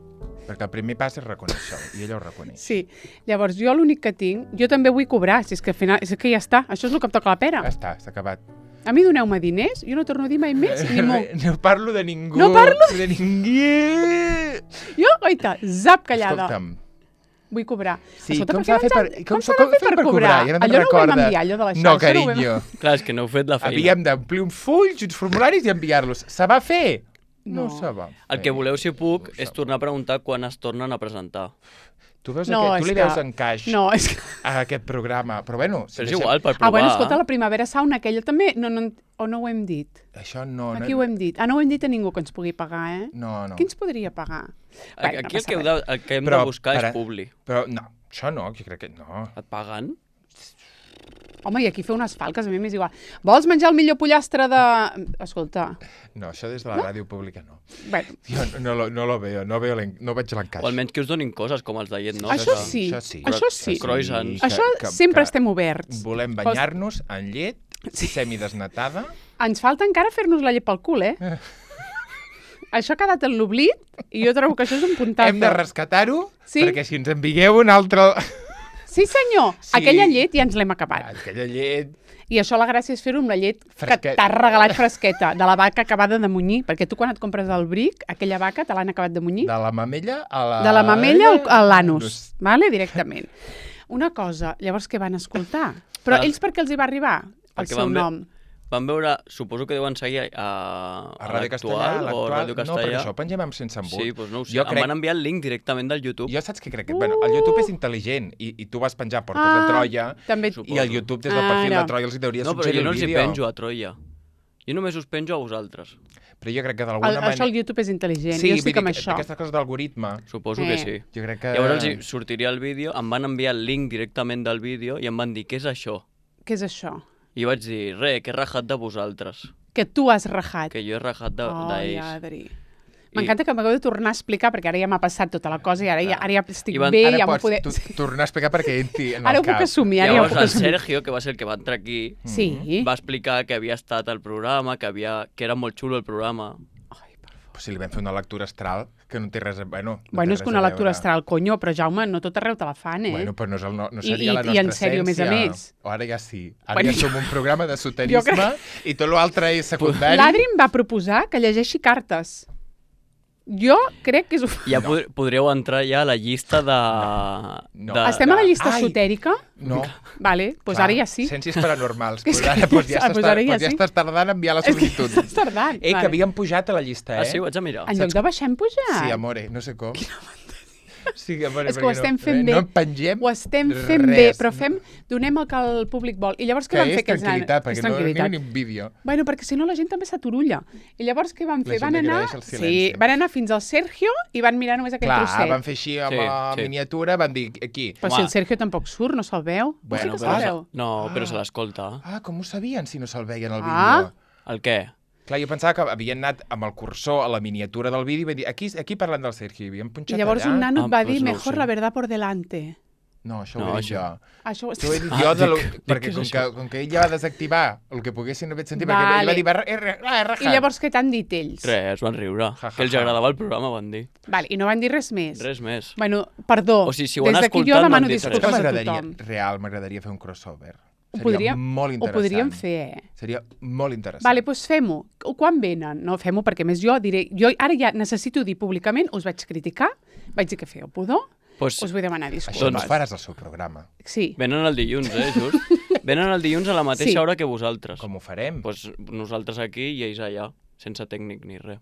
Perquè el primer pas és reconèixer-ho, i ella ho reconeix. sí. Llavors, jo l'únic que tinc, jo també vull cobrar, si és que al final, és que ja està, això és el que em toca la pera. Ja està, s'ha acabat. A mi doneu-me diners, jo no torno a dir mai més ni mo. No parlo de ningú. No parlo de ningú. Jo, oita, zap callada. Escolta'm, Vull cobrar. sí, Escolta, com per s'ha de què fer per, vaig a- com, s'ha com de fer per cobrar? Ja no Allò me'n no ho vam recorda. enviar, allò de la No, xarxa, no ho vam- carinyo. Clar, és que no heu fet la feina. Havíem d'omplir un full, uns formularis i enviar-los. Se va fer? No, No. se va El que fer. voleu, si puc, No és se- tornar a preguntar quan es tornen a presentar. Tu, veus No, aquest, tu és li que- veus encaix No, és que... a aquest programa. Però bueno, si Però és deixem- igual, per provar. Ah, bueno, escolta, la primavera sauna aquella també, no, no, o no ho hem dit? Això no... Aquí no, ho hem dit. Ah, no ho hem dit a ningú que ens pugui pagar, eh? No, no. Qui ens podria pagar? Bueno, no Aquí el passa que, heu res. de, el que hem Però, de buscar para- és publi. Però no, això no, jo crec que no. Et paguen? Home, i aquí fer unes falques, a mi m'és igual. Vols menjar el millor pollastre de... Escolta, No, això des de la ràdio pública no. bueno, Jo no, no, lo, no lo veo, no, veo l'en- no veig l'encaix. O almenys que us donin coses com els de llet, no? Això Que- sí, Això sí. això sí. Croissants. això sempre estem oberts. Volem banyar-nos en llet semidesnatada. Ens falta encara fer-nos la llet pel cul, eh? Això ha quedat en l'oblit i jo trobo que això és un puntazo. Hem de rescatar-ho, Sí? perquè si ens envigueu un altre... Sí, senyor. Sí. Aquella llet ja ens l'hem acabat. Aquella llet... I això la gràcia és fer-ho amb la llet Fresquet. que t'has regalat fresqueta, de la vaca acabada de munyir, perquè tu quan et compres el bric, aquella vaca te l'han acabat de munyir, De la mamella a la... de la mamella al- a l'anus, vale? Directament. Una cosa, llavors què van escoltar? Però Ah. ells per què els hi va arribar el Perquè seu van ve- nom? Van veure, suposo que deuen seguir a, A Ràdio Castellà, a l'Actual o l'actual... Ràdio No, Castellà. perquè això ho pengem amb sense embut. Sí, doncs no ho sé. Jo Em crec- van enviar el link directament del YouTube. Jo saps què crec? Que, bueno, el YouTube és intel·ligent i, i tu vas penjar Portes Ah, de Troia També... Suposo. i el YouTube des del perfil Ara. de Troia els hi hauria No, però suggerir jo no el els hi vídeo. penjo a Troia. Jo només us penjo a vosaltres. Però jo crec que El, d'alguna manera... això el YouTube és intel·ligent, Sí, jo vull estic dir amb que això. aquestes coses d'algoritme, Suposo Eh. que sí. jo crec que... Llavors els hi sortiria el vídeo, em van enviar el link directament del vídeo i em van dir, què és això? Què és això? I jo vaig dir, re, que he rajat de vosaltres. Que tu has rajat. Que jo he rajat de- Ai, d'ells. Adri. M'encanta que m'hagueu de tornar a explicar, perquè ara ja m'ha passat tota la cosa i ara ja, ara ja estic I van- bé, Ara ja m'ho pots poder... tu, tornar a explicar perquè entri en Ara el ho puc cap. assumir, ara ja ho Llavors puc el assumir. Sergio, que va ser el que va entrar aquí, Sí. va explicar que havia estat al programa, que, havia, que era molt xulo el programa. Ai, per favor. Pues si li vam fer una lectura astral, que no té res a... Bueno, no Bueno, té és que res una a lectura veure. astral, conyo, però Jaume, no tot arreu te la fan, eh? Bueno, però no, és el, no, no I- seria i- la i nostra en sèrio, a més a essència. més. O ara ja sí. Ara Bueno, ja som un programa d'esoterisme jo crec- i tot l'altre és secundari. L'Adri em va proposar que llegeixi cartes. Jo crec que és... Ja No. pod podríeu entrar ja a la llista de... No. de Estem a la llista Ai. esotèrica? No. Vale, doncs pues Clar, ara ja sí. Ciències paranormals. És Pues que ara, ja pues ja, està, estàs, pues ara ja pues ja sí. estàs tardant a enviar la És que sol·licitud. estàs tardant. Eh, que havíem pujat a la llista, eh? Ah, sí, ho haig de mirar. En lloc de baixar hem pujat. Sí, amore, no sé com. Sí, a veure, És que ho perquè estem no, fent bé. No en pengem Ho estem fent res. bé, però fem, donem el que el públic vol. I llavors què Que van fer és aquests nanos? tranquil·litat, perquè És no tranquil·litat. ni un vídeo. Bueno, perquè si no la gent també s'aturulla. I llavors què van La fer? gent Van anar, agraeix el sí, silenci. van anar fins al Sergio i van mirar només aquell Clar, trosset. van fer així amb Sí, la sí. miniatura, van dir aquí. Però si el Sergio tampoc surt, no se'l veu. Bueno, no sé que però- se'l veu. No, però Ah. se l'escolta. Ah, com ho sabien si no se'l veien al Ah. vídeo? El què? Clar, jo pensava que havien anat amb el cursor a la miniatura del vídeo i van dir, aquí, aquí parlant del Sergi, havien I punxat llavors allà. un nano Ah, et va doncs dir, no ho mejor sé. la verdad por delante. No, això No, ho he dit això- jo. Això ho Això ho he dit Ah, jo, de lo... dic- dic perquè que és com això. que, com que ell ja va desactivar el que poguessin haver sentit, perquè Vale. ell va dir, va, R, R, I llavors què t'han dit ells? Res, es van riure. Ja, ja, Que els ja. agradava el programa, van dir. Vale, i no van dir res més? Res més. Bueno, perdó, O sigui, si ho han des d'aquí jo escoltat, no demano han dit res. Que disculpes a m'agradaria, tothom. real, m'agradaria fer un crossover. Ho Seria podríem, molt ho interessant. podríem fer, eh? Seria molt interessant. Vale, doncs fem-ho. Quan venen? No, fem-ho perquè a més jo diré... Jo ara ja necessito dir públicament, us vaig criticar, vaig dir que fèieu pudor, Pues, us vull demanar Això disculpes. no Doncs- faràs al seu programa. Sí. venen el dilluns, eh, just? Venen el dilluns a la mateixa Sí. hora que vosaltres. Com ho farem? Pues nosaltres aquí i ells allà, sense tècnic ni res.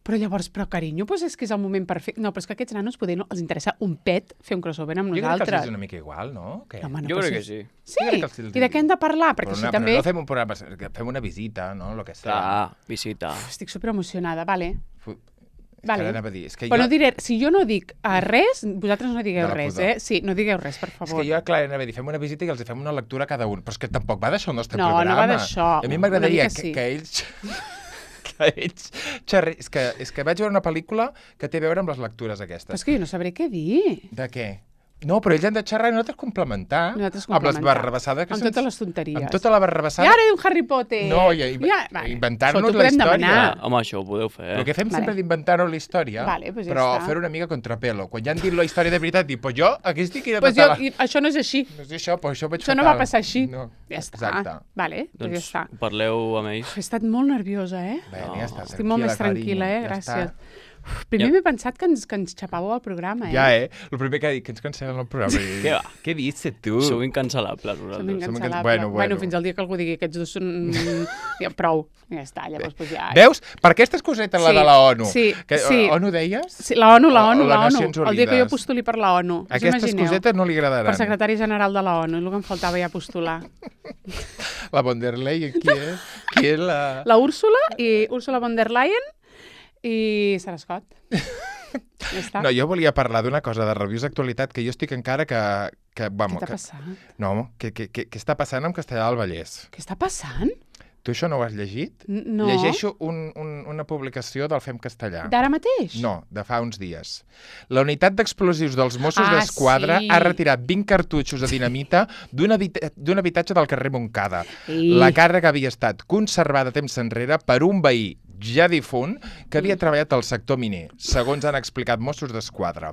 Però llavors, però carinyo, doncs és que és el moment perfecte. No, però és que a aquests nanos poder no els interessa un pet fer un crossover amb Jo crec que els nosaltres. és una mica igual, no? Què? Home, no, Jo però crec si- que sí. Sí? Jo crec que els els- I de què hem de parlar? Perquè Però, així no, també... però no fem un programa, que fem una visita, no? Lo que sea. Clar, visita. Uf, estic superemocionada, vale. Fu- És Vale. que ara anava a dir, és que Però jo... no diré, si jo no dic eh, res, vosaltres no digueu De la res, pudor. eh? Sí, no digueu res, per És favor. que jo, clar, anava a dir, fem una visita i els fem una lectura a cada un. Però és que tampoc va d'això el nostre No, no programa. va d'això. A mi Una m'agradaria mica que, sí. que ells... que ells xerri... és, que, és que vaig veure una pel·lícula que té a veure amb les lectures Però aquestes. és que jo no sabré què dir. De què? No, però ells han de xerrar i nosaltres complementar. Nosaltres Amb les complementar. barrabassades que Amb se'ns- totes les tonteries. Amb tota la I barrabassada. ara un Harry Potter. No, i, i, ja, vale. inventar-nos Això t'ho la podem història. demanar. Ah, home, això ho podeu fer. El que fem Vale. sempre d'inventar-nos la història, Vale, pues ja però està. fer una mica contrapelo. Quan ja han dit la història de veritat, dir, pues jo aquí estic i de Pues tota jo, la... i això no és així. No és això, però això ho vaig Això no fatal. va passar així. No. Ja està. Exacte. Vale, doncs ja Doncs està. parleu amb ells. Uf, he estat molt nerviosa, eh? Bé, No. ja està. Estic molt més tranquil·la, eh? carinyo, ja Gràcies. està. Uf, primer Ja. m'he pensat que ens, que ens xapàveu el programa, eh? Ja, eh? El primer que ha dit, que ens cancel·len el programa. I- Què va? Què dices, tu? Sou incancel·lables, Som vosaltres. incancel·lables. Bueno, Bueno, bueno. fins al dia que algú digui aquests dos són... ja, prou. Ja està, llavors pues ja... Veus? Per aquestes cosetes, la Sí, de la ONU. sí, que, sí. ONU deies? Sí, la ONU, la O- ONU, o la les ONU. Nacions El dia que jo Unides. postuli per la ONU. Us Aquestes imagineu? cosetes no li agradaran. Per secretari general de la ONU, és el que em faltava ja postular. La von der Leyen, qui és? Qui és la... La Úrsula i Úrsula von der Leyen i Sarah Scott. Ja està. No, jo volia parlar d'una cosa de reviews d'actualitat que jo estic encara que... que Què vamos, t'ha que, passat? no, que, que, que, que està passant amb Castellà del Vallès. Què està passant? Tu això no ho has llegit? N- No. Llegeixo un, un, una publicació del Fem Castellà. D'ara mateix? No, de fa uns dies. La unitat d'explosius dels Mossos Ah, d'Esquadra sí. ha retirat vint cartutxos de dinamita d'un habita d'un habitatge del carrer Montcada. I... La càrrega havia estat conservada temps enrere per un veí ja difunt que havia treballat al sector miner, segons han explicat Mossos d'Esquadra.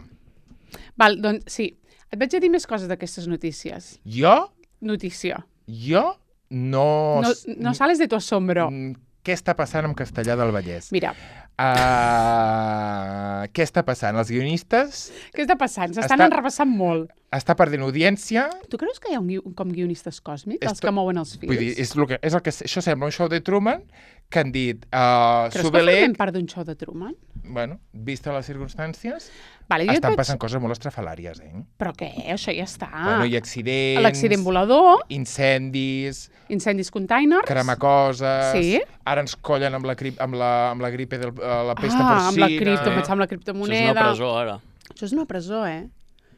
Val, doncs sí. Et vaig a dir més coses d'aquestes notícies. Jo, Notícia. jo no... No, no sales de tu asombro. Mm, Què està passant amb Castellà del Vallès? Mira, Uh, què està passant? Els guionistes què està passant? S'estan Està- enrebaçant molt. està perdent audiència. Tu creus que hi ha un, gui- com guionistes còsmics, És els to- que mouen els fils? Vull dir, és, el que, és el que... Això sembla un show de Truman que han dit... Uh, Creus que Subelec, formem part d'un show de Truman? bueno, vista les circumstàncies, Vale, jo et estan vaig... passant coses molt estrafalàries, eh? Però què? Això ja està. Bueno, hi ha accidents... L'accident volador, Incendis, incendis containers... cremar coses... Sí. Ara ens collen amb la, grip, amb la, amb la gripe de la pesta ah, amb porcina. la cripto, eh? pensava amb la Això és criptomoneda. una presó, ara. Això és una presó, eh?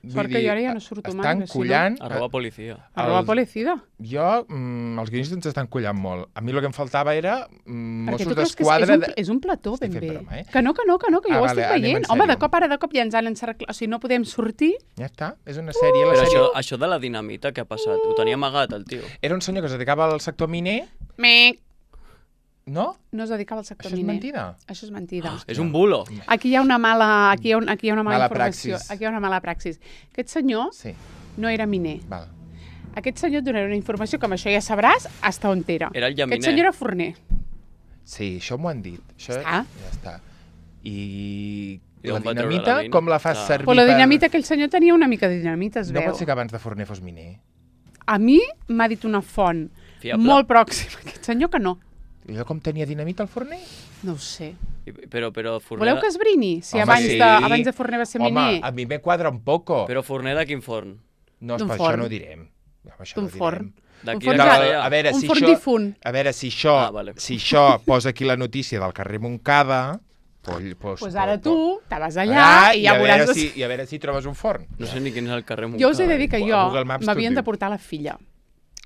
Vull Sort que dir, jo ara ja no surto mai, estan perquè si no- collant... Arroba policia. Arroba els- policida. Jo, mm, els guionistes ens estan collant molt. A mi el que em faltava era mm, Perquè Mossos tu creus que és, és, d'Esquadra... un, de- és un plató Estic ben fent bé. broma, eh? Que no, que no, que no, que jo Ah, ho vale, estic anem en veient. Home, de sèrio. cop, ara de cop ja ens han encerclat. O sigui, no podem sortir. Ja està, és una sèrie. La Però sèrie... això, això de la dinamita, què ha passat? Ho tenia amagat, el tio. Era un senyor que es dedicava al sector miner, Mec. no? No es dedicava al sector Això és miner. mentida. Això és mentida. És un bulo. Aquí hi ha una mala, aquí hi ha, un, aquí hi ha una mala, Mala informació. praxis. Aquí hi ha una mala praxis. Aquest senyor Sí, no era miner. val. Aquest senyor et donarà una informació que amb això ja sabràs hasta on era. Era el llaminer. Aquest senyor era forner. Sí, això m'ho han dit. Això... Està. Ja està. I, I la d'on va treure dinamita, la mina? com la fas Clar. servir Però la per- dinamita, aquell senyor tenia una mica de dinamita, es No veu. pot ser que abans de forner fos miner. A mi m'ha dit una font Fiable? molt pròxima. Aquest senyor que no. I allò com tenia dinamita al forner? No ho sé. I- Però, però Forner... Voleu que esbrini? Si Home, abans, sí. de, abans de Forner va ser Home, miner. a mi me quadra un poco. Però Forner de quin forn? No, D'un per forn. això no ho direm. Home, això D'un no ho forn. direm. De Un qui forn era ja- feia? A veure, Un si forn això, difunt. a veure, si això, Ah, vale. si això posa aquí la notícia del carrer Montcada, pues, pues, Doncs ara pues- tu te vas allà Ah, i ja a veuràs... veure si, I a veure si trobes un forn. No sé ni quin és el carrer Montcada. Jo us he de dir que A jo Google Maps m'havien tot de diu. portar la filla.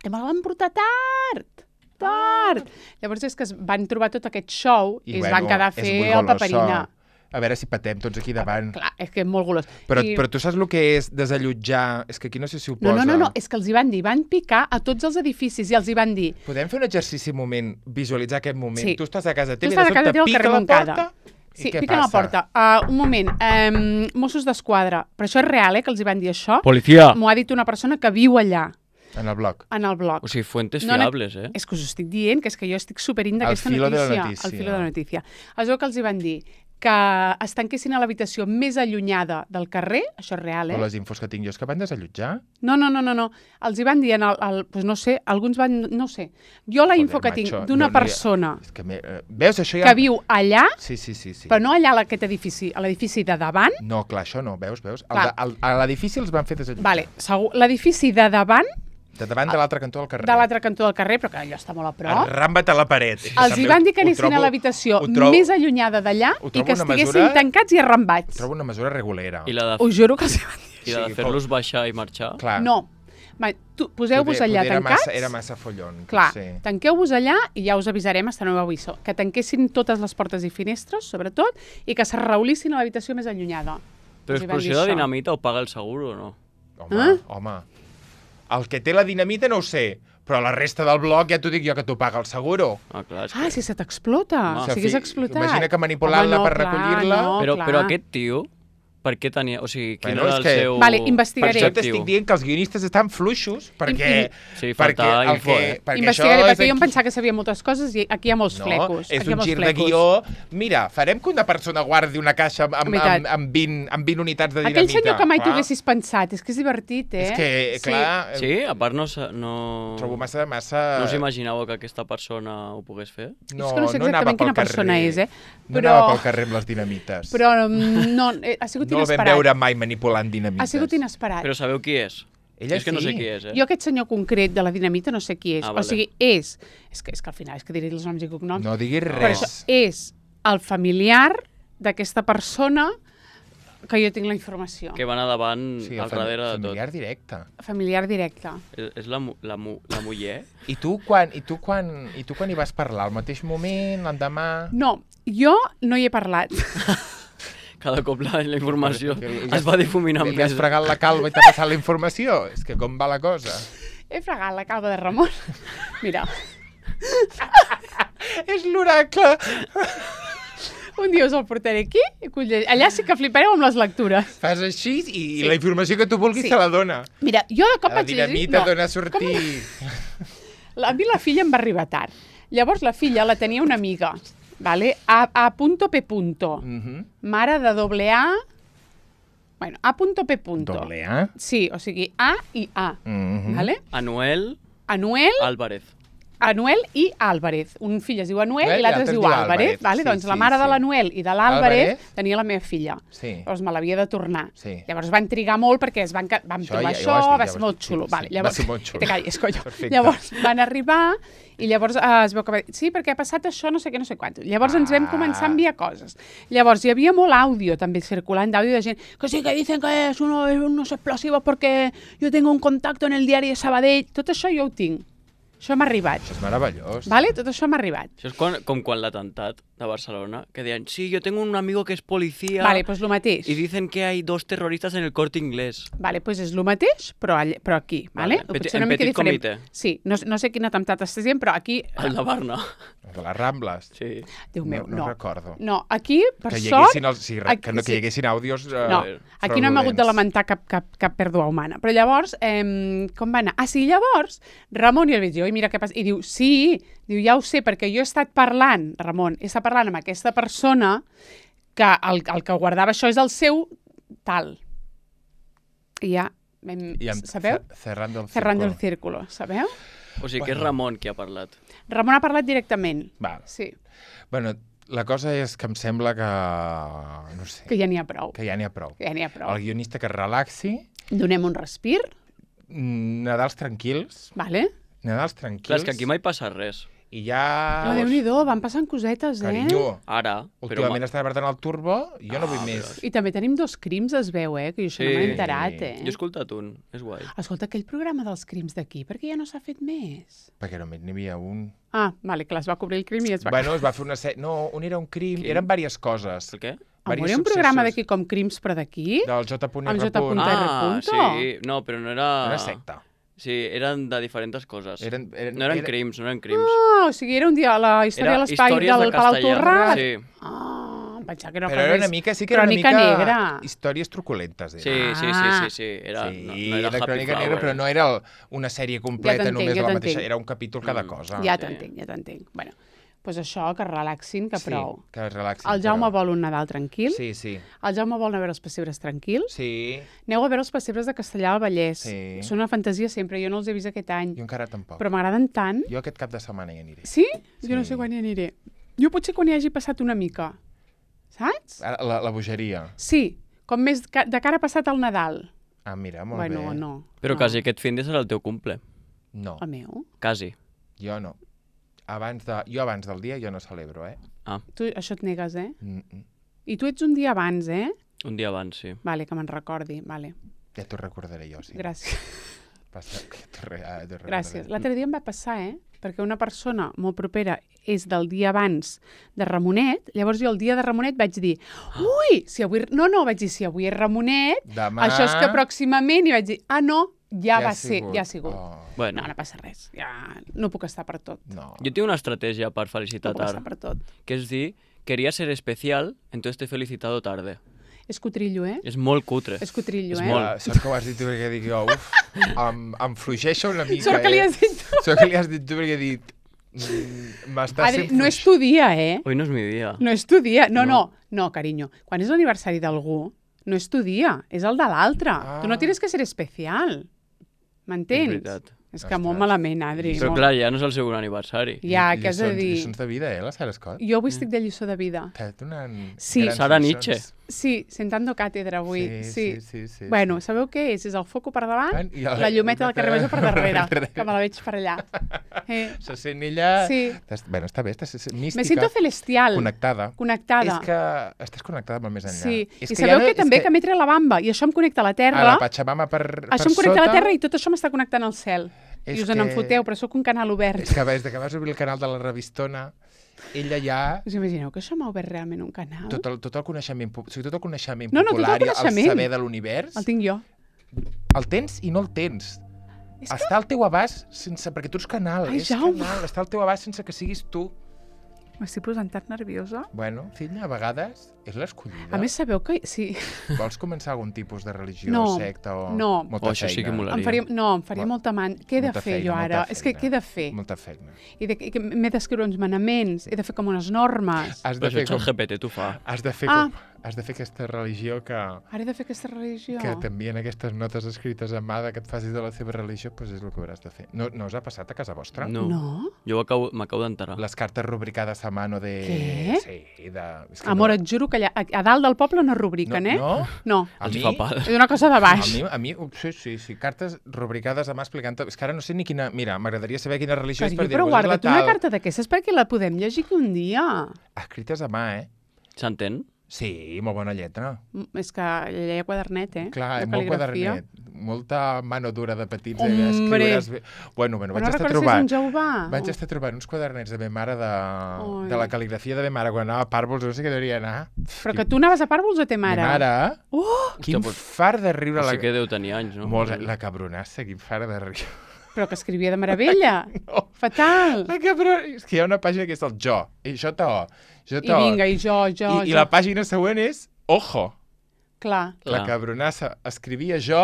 I me la van portar tard, tard. Llavors és que es van trobar tot aquest show i, es van quedar a és fer muy el goloso. paperina. A veure si patem tots aquí davant. Clar, és que és molt golós. Però, I... però tu saps el que és desallotjar? És que aquí no sé si ho No, posa. no, no, no, és que els hi van dir, van picar a tots els edificis i els hi van dir Podem fer un exercici un moment, visualitzar aquest moment? Sí. Tu estàs a casa Tu teva i estàs de a casa sobte teva al pica carrer la Montcada. porta i Sí, què piquen a la passa? porta. Uh, un moment, um, Mossos d'Esquadra, però això és real, eh, que els hi van dir això. Policia! M'ho ha dit una persona que viu allà, En el blog. en el blog. O sigui, fuentes No, no, fiables, eh? És que us ho estic dient, que és que jo estic superint d'aquesta Al filo de la notícia. notícia. Al filo de la notícia. Es veu que els hi van dir que es tanquessin a l'habitació més allunyada del carrer, això és real, eh? Però les infos que tinc jo és que van desallotjar. No, no, no, no, no. Els hi van dir, en el, el, pues no sé, alguns van, no sé. Jo la Joder, info que tinc macho, d'una no, no hi ha- persona És que me, eh, veus, això ja... que viu allà, Sí, sí, sí. sí. però no allà a aquest edifici, a l'edifici de davant, No, clar, això no, veus, veus? El, Clar. de- el, a l'edifici els van fer desallotjar. vale, segur, l'edifici de davant, De davant de l'altre cantó del carrer. de l'altre cantó del carrer, però que allò està molt a prop, Arramba't a la paret. els hi van dir que anessin a l'habitació més allunyada d'allà ho i trobo que una estiguessin mesura- tancats i arrambats. Trobo una mesura regulera. I la de, Us juro que els hi van dir. i la de Sí, fer-los baixar i marxar? Clar. No. Va, tu, poseu-vos Poder- allà poder era tancats. Massa, era massa follon, Clar, potser. tanqueu-vos allà i ja us avisarem hasta nou aviso. Que tanquessin totes les portes i finestres, sobretot, i que s'arraulissin a l'habitació més allunyada. Però Us hi van dir explosió de això. dinamita ho paga el seguro o no? Home, Eh? home. El que té la dinamita no ho sé, però la resta del bloc ja t'ho dic jo que t'ho paga el seguro. Ah, clar, és Ah, que... si se t'explota, Home, si hagués fi- explotat. imagina que manipulant-la Home, no, per clar, recollir-la. No, Però, clar. però aquest tio, per què tenia... O sigui, quin Bueno, era és el que- seu... Vale, investigaré. Per això objectiu? t'estic dient que els guionistes estan fluixos, perquè... I- Sí, perquè falta el info, que, eh? perquè Investigaré, això és perquè jo em aquí- pensava que sabia moltes coses i aquí hi ha molts No, flecos. és aquí hi ha un molts gir de flecos. guió. Mira, farem que una persona guardi una caixa amb, amb, Veritat. amb, amb, vint, amb vint unitats de dinamita. Aquell senyor que mai t'ho Clar. haguessis pensat, és que és divertit, eh? És que, clar, Sí? A part no... sa- no... trobo massa... massa... No us imaginàveu que aquesta persona ho pogués fer? No, És que no sé anava exactament pel quina persona carrer. és, eh? No Però- anava pel carrer amb les dinamites. Però mm, no, eh, ha sigut no el vam inesperat. veure mai manipulant dinamites. Ha sigut inesperat. Però sabeu qui és? Ella és que no sí. sé qui és, eh? Jo aquest senyor concret de la dinamita no sé qui és. Ah, O vale. sigui, és... És que, és que al final és que diré els noms i cognoms. No diguis Però res. això és el familiar d'aquesta persona que jo tinc la informació. Que va anar davant Sí, al fam- darrere de tot. familiar directe. Familiar directe. És, és la, mu- la, mu- la muller? I tu, quan, i, tu quan, I tu quan hi vas parlar? Al mateix moment? L'endemà? No, jo no hi he parlat. Cada cop la, la informació Li es va difuminant Li has més. fregat la calva i t'ha passat la informació? És que com va la cosa? He fregat la calva de Ramon. Mira, És l'oracle! un dia us el portaré aquí. I colle- allà sí que flipareu amb les lectures. Fas així i sí. la informació que tu vulguis Sí. sí. te la dona. Mira, jo de cop La vaig llegir... dinamita dona a sortir. La, a mi la filla em va arribar tard. Llavors la filla la tenia una amiga, vale? A, a punto P punto. Mm -hmm. Mare de doble A... Bueno, A punto P punto. Doble A. Sí, o sigui, A i A, Mm -hmm. vale? Anuel Anuel, Álvarez. Anuel i Álvarez. Un fill es diu Anuel Eh, i l'altre es diu Álvarez. Álvarez. Vale? Sí, Doncs la sí, mare sí. de l'Anuel i de l'Álvarez Álvarez. tenia la meva filla. Sí. Llavors me l'havia de tornar. Sí. Llavors van trigar molt perquè es van, ca- vam Això trobar ja- ja això, ho has dit, va ja ho ser has molt dit, xulo. sí, Vale, sí, llavors, va ser molt xulo. Te callis, coño. Perfecte. Llavors van arribar i llavors eh, es veu que va dir, sí, perquè ha passat això, no sé què, no sé quant. Llavors ens vam Ah. començar a enviar coses. Llavors hi havia molt àudio també circulant d'àudio de gent que sí que dicen que és uno, es unos explosivos porque yo tengo un contacto en el diari de Sabadell. Tot això jo ho tinc. Això m'ha arribat. Això és meravellós. Vale? Tot això m'ha arribat. Això és quan, com quan l'atemptat de Barcelona, que deien, sí, yo tengo un amigo que es policía Vale, pues lo mateix. y dicen que hay dos terroristas en el Corte Inglés. Vale, pues és el mateix, però, all, però aquí, vale? Vale. O Peti- potser en una mica petit diferent. comitè. Sí, no, no sé quin atemptat estàs dient, però aquí... El de Barna. De les Rambles. Sí. Déu meu, no, no. no recordo. No, aquí, per Que hi sort... haguessin, els, sí, re- que, no, que hi haguessin àudios eh, No, aquí no hem hagut de fraudulents. lamentar cap, cap, cap pèrdua humana. Però llavors, eh, com va anar? Ah, sí, llavors, Ramon i el veig, i mira què passa. I diu, sí, diu, ja ho sé, perquè jo he estat parlant, Ramon, he estat parlant amb aquesta persona que el, el que guardava això és el seu tal. I ja, vam, I amb sabeu? ce- Cerrando el Cerrando el círculo. círculo, sabeu? O sigui que és Ramon qui ha parlat. Ramon ha parlat directament. Val. Sí. Bueno, La cosa és que em sembla que... no sé, Que ja n'hi ha prou. que ja n'hi ha prou. Que ja n'hi ha prou. El guionista que es relaxi, Donem un respir, mm, Nadals tranquils, vale? Nadals Clar, tranquils, és que aquí mai passa res. i ja... No, Déu-n'hi-do, van passant cosetes, eh? Carinyo, Ara, però... últimament ma- està apretant el turbo, jo no vull Ah, més. però- I també tenim dos crims, es veu, eh? Que jo això no Sí. m'he enterat, eh? Jo he escoltat un, és guai. Escolta, aquell programa dels crims d'aquí, per què ja no s'ha fet més? Perquè només n'hi havia un. Ah, vale, clar, es va cobrir el crim i es va... Bueno, es va fer una sèrie... No, un era un crim, Quin? eren diverses coses. El què? Amor, hi ha un programa d'aquí com crims, però d'aquí? Del J. Amb J. R. Punta. Ah, punto. sí. No, però no era... Una secta. Sí, eren de diferents coses. Eren, eren, No eren era- crims, no eren crims. Ah, o sigui, era un dia la història Era de l'espai històries del de Palau castellà. Torrat. Sí, Ah, em pensava que era Però era una mica, sí que era una crònica mica... negra. Històries truculentes, era. sí, sí, sí, Ah. sí, sí. Era, sí, no, no era era Happy crònica Flower. negra, però no era el, una sèrie completa t'entenc, només ja de la t'entenc. mateixa, era un capítol cada Mm. cosa. Ja Sí. t'entenc, ja t'entenc. Bueno, doncs això, que relaxin, que sí, prou. que es relaxin. El Jaume però- vol un Nadal tranquil. Sí, sí, El Jaume vol anar a veure els pessebres tranquils. sí. Aneu a veure els pessebres de Castellà del Vallès. Sí. Són una fantasia sempre, jo no els he vist aquest any. Jo encara tampoc. Però m'agraden tant. Jo aquest cap de setmana hi aniré. Sí? Sí. Jo no sé quan hi aniré. Jo potser quan hi hagi passat una mica. Saps? Ara, La, la bogeria. Sí, com més ca- de cara passat al Nadal. Ah, mira, molt Bueno, bé. no. Però no. quasi aquest fin de serà el teu cumple. No, El meu? Quasi. jo no. Abans de, jo abans del dia jo no celebro, eh? Ah, Tu això et negues, eh? Mm -mm. I tu ets un dia abans, eh? un dia abans, sí. Vale, que me'n recordi. Vale, Ja t'ho recordaré jo, sí. gràcies. Passa, que t'ho re, ah, t'ho Gràcies. recordaré. L'altre dia em va passar, eh? Perquè una persona molt propera és del dia abans de Ramonet, llavors jo el dia de Ramonet vaig dir ui, si avui... No, no, vaig dir, si avui és Ramonet, Demà... això és que pròximament... I vaig dir, ah, no, ja, ha va ser, sigut. ja ha sigut. Oh, Bueno, No, no passa res. Ja no puc estar per tot. no. jo tinc una estratègia per No felicitar puc estar tard, per tot. que és dir, quería ser especial, entonces te he felicitado tarde. És cotrillo, eh? És molt cutre. És cotrillo, És eh? molt. Ja, sort que ho has dit tu perquè dic jo, uf, em, em fluixeixa una mica, Sort que li eh? has dit tu. Sort que li has dit tu perquè he dit... mm, M'està Adri, sent no és tu dia, eh? Hoy no és mi dia. No és tu dia. No, no, No. no, carinyo. Quan és l'aniversari d'algú, no és tu dia, és el de l'altre. Ah. Tu no tienes que ser especial. M'entens? És veritat. És que molt Ostres. malament, Adri. Però molt... clar, ja no és el segon aniversari. Ja, què has de Lliçons- dir? Lliçons de vida, eh, la Sara Scott? Jo avui estic de lliçó de vida. T'ha donant Sí. grans Sara lliçons. Nietzsche. Sí, sentando càtedra avui. Sí, sí, sí. sí, Bueno, sí. sabeu què és? És el foco per davant, I el- la llumeta del carrer Major per darrere, darrere. que me la veig per allà. Eh, Se sent ella... Sí. T'has- Bueno, està bé, estàs mística. me siento celestial, Connectada. connectada. És que estàs connectada amb el més enllà. Sí, és i que sabeu ja que és també que, m'he tret la bamba i això em connecta a la A Terra, la Pachamama per, per això em connecta sota... a la Terra i tot això m'està connectant al cel. És I us en que- en foteu, però sóc un canal obert. És que des de que vas obrir el canal de la revistona, ella ja... Us imagineu que això m'ha obert realment un canal? Tot el, tot el coneixement, pu- o sigui, tot el coneixement No, no, tot el popular, i coneixement. saber de l'univers, El tinc jo. el tens i no el tens. És que... Està al teu abast sense... Perquè tu ets canal, Ai, és Jaume. canal. Està al teu abast sense que siguis tu. M'estic posant tan nerviosa. Bueno, filla, a vegades és l'escollida. A més, sabeu que... Sí. Vols començar algun tipus de religió, No, secta o... no. Molta Oh, això sí que feina. molaria. Em faria, no, em faria Mol- molta man... Què he de molta fer feina, jo ara? molta És que feina. què he de fer? Molta feina. I de, que m'he d'escriure uns manaments, he de fer com unes normes. Has Però de fer això el com... G P T t'ho fa. Has de fer Ah. com... Has de fer aquesta religió que... Ara he de fer aquesta religió. que t'envien aquestes notes escrites a mà de que et facis de la seva religió, doncs és el que hauràs de fer. No, no us ha passat a casa vostra? No. No? Jo acabo- m'acabo d'enterar. Les cartes rubricades a mano de... Què? Sí, de... És que Amor, no... et juro que allà, a, a dalt del poble no rubriquen, no, eh? No? No. A Els mi... fa pal. És una cosa de A baix. mi, a mi, sí, sí, sí, cartes rubricades a mà explicant... És que ara no sé ni quina... Mira, m'agradaria saber quina religió és Carinyo, per dir, però pues és la guarda't una tal. carta d'aquestes perquè la podem llegir aquí un dia. Escrites a mà, eh? S'entén? Sí, molt bona lletra. Mm, És que lleia quadernet, eh? Clar, de molt cal·ligrafia. quadernet. Molta mano dura de petits. Hombre. Eh? Escriuràs bé. Bueno, bueno, vaig no estar recordes si és trobant... un Jehovà? Vaig estar trobant uns quadernets de ma mare de, Ai. de la cal·ligrafia de ma mare quan anava a Pàrvols, no sé què devia anar. Però que tu anaves a Pàrvols o té mare? Ma mare, Oh! quin Hòstia, però- fart de riure. Sí La... que deu tenir anys, no? Molts, la cabronassa, quin fart de riure. Però que escrivia de meravella. No. Fatal. La cabron... És que hi ha una pàgina que és el jo, i J O, J I O. vinga, i jo, jo, I, jo. I la pàgina següent és ojo. Clar. La Clar. cabronassa escrivia jo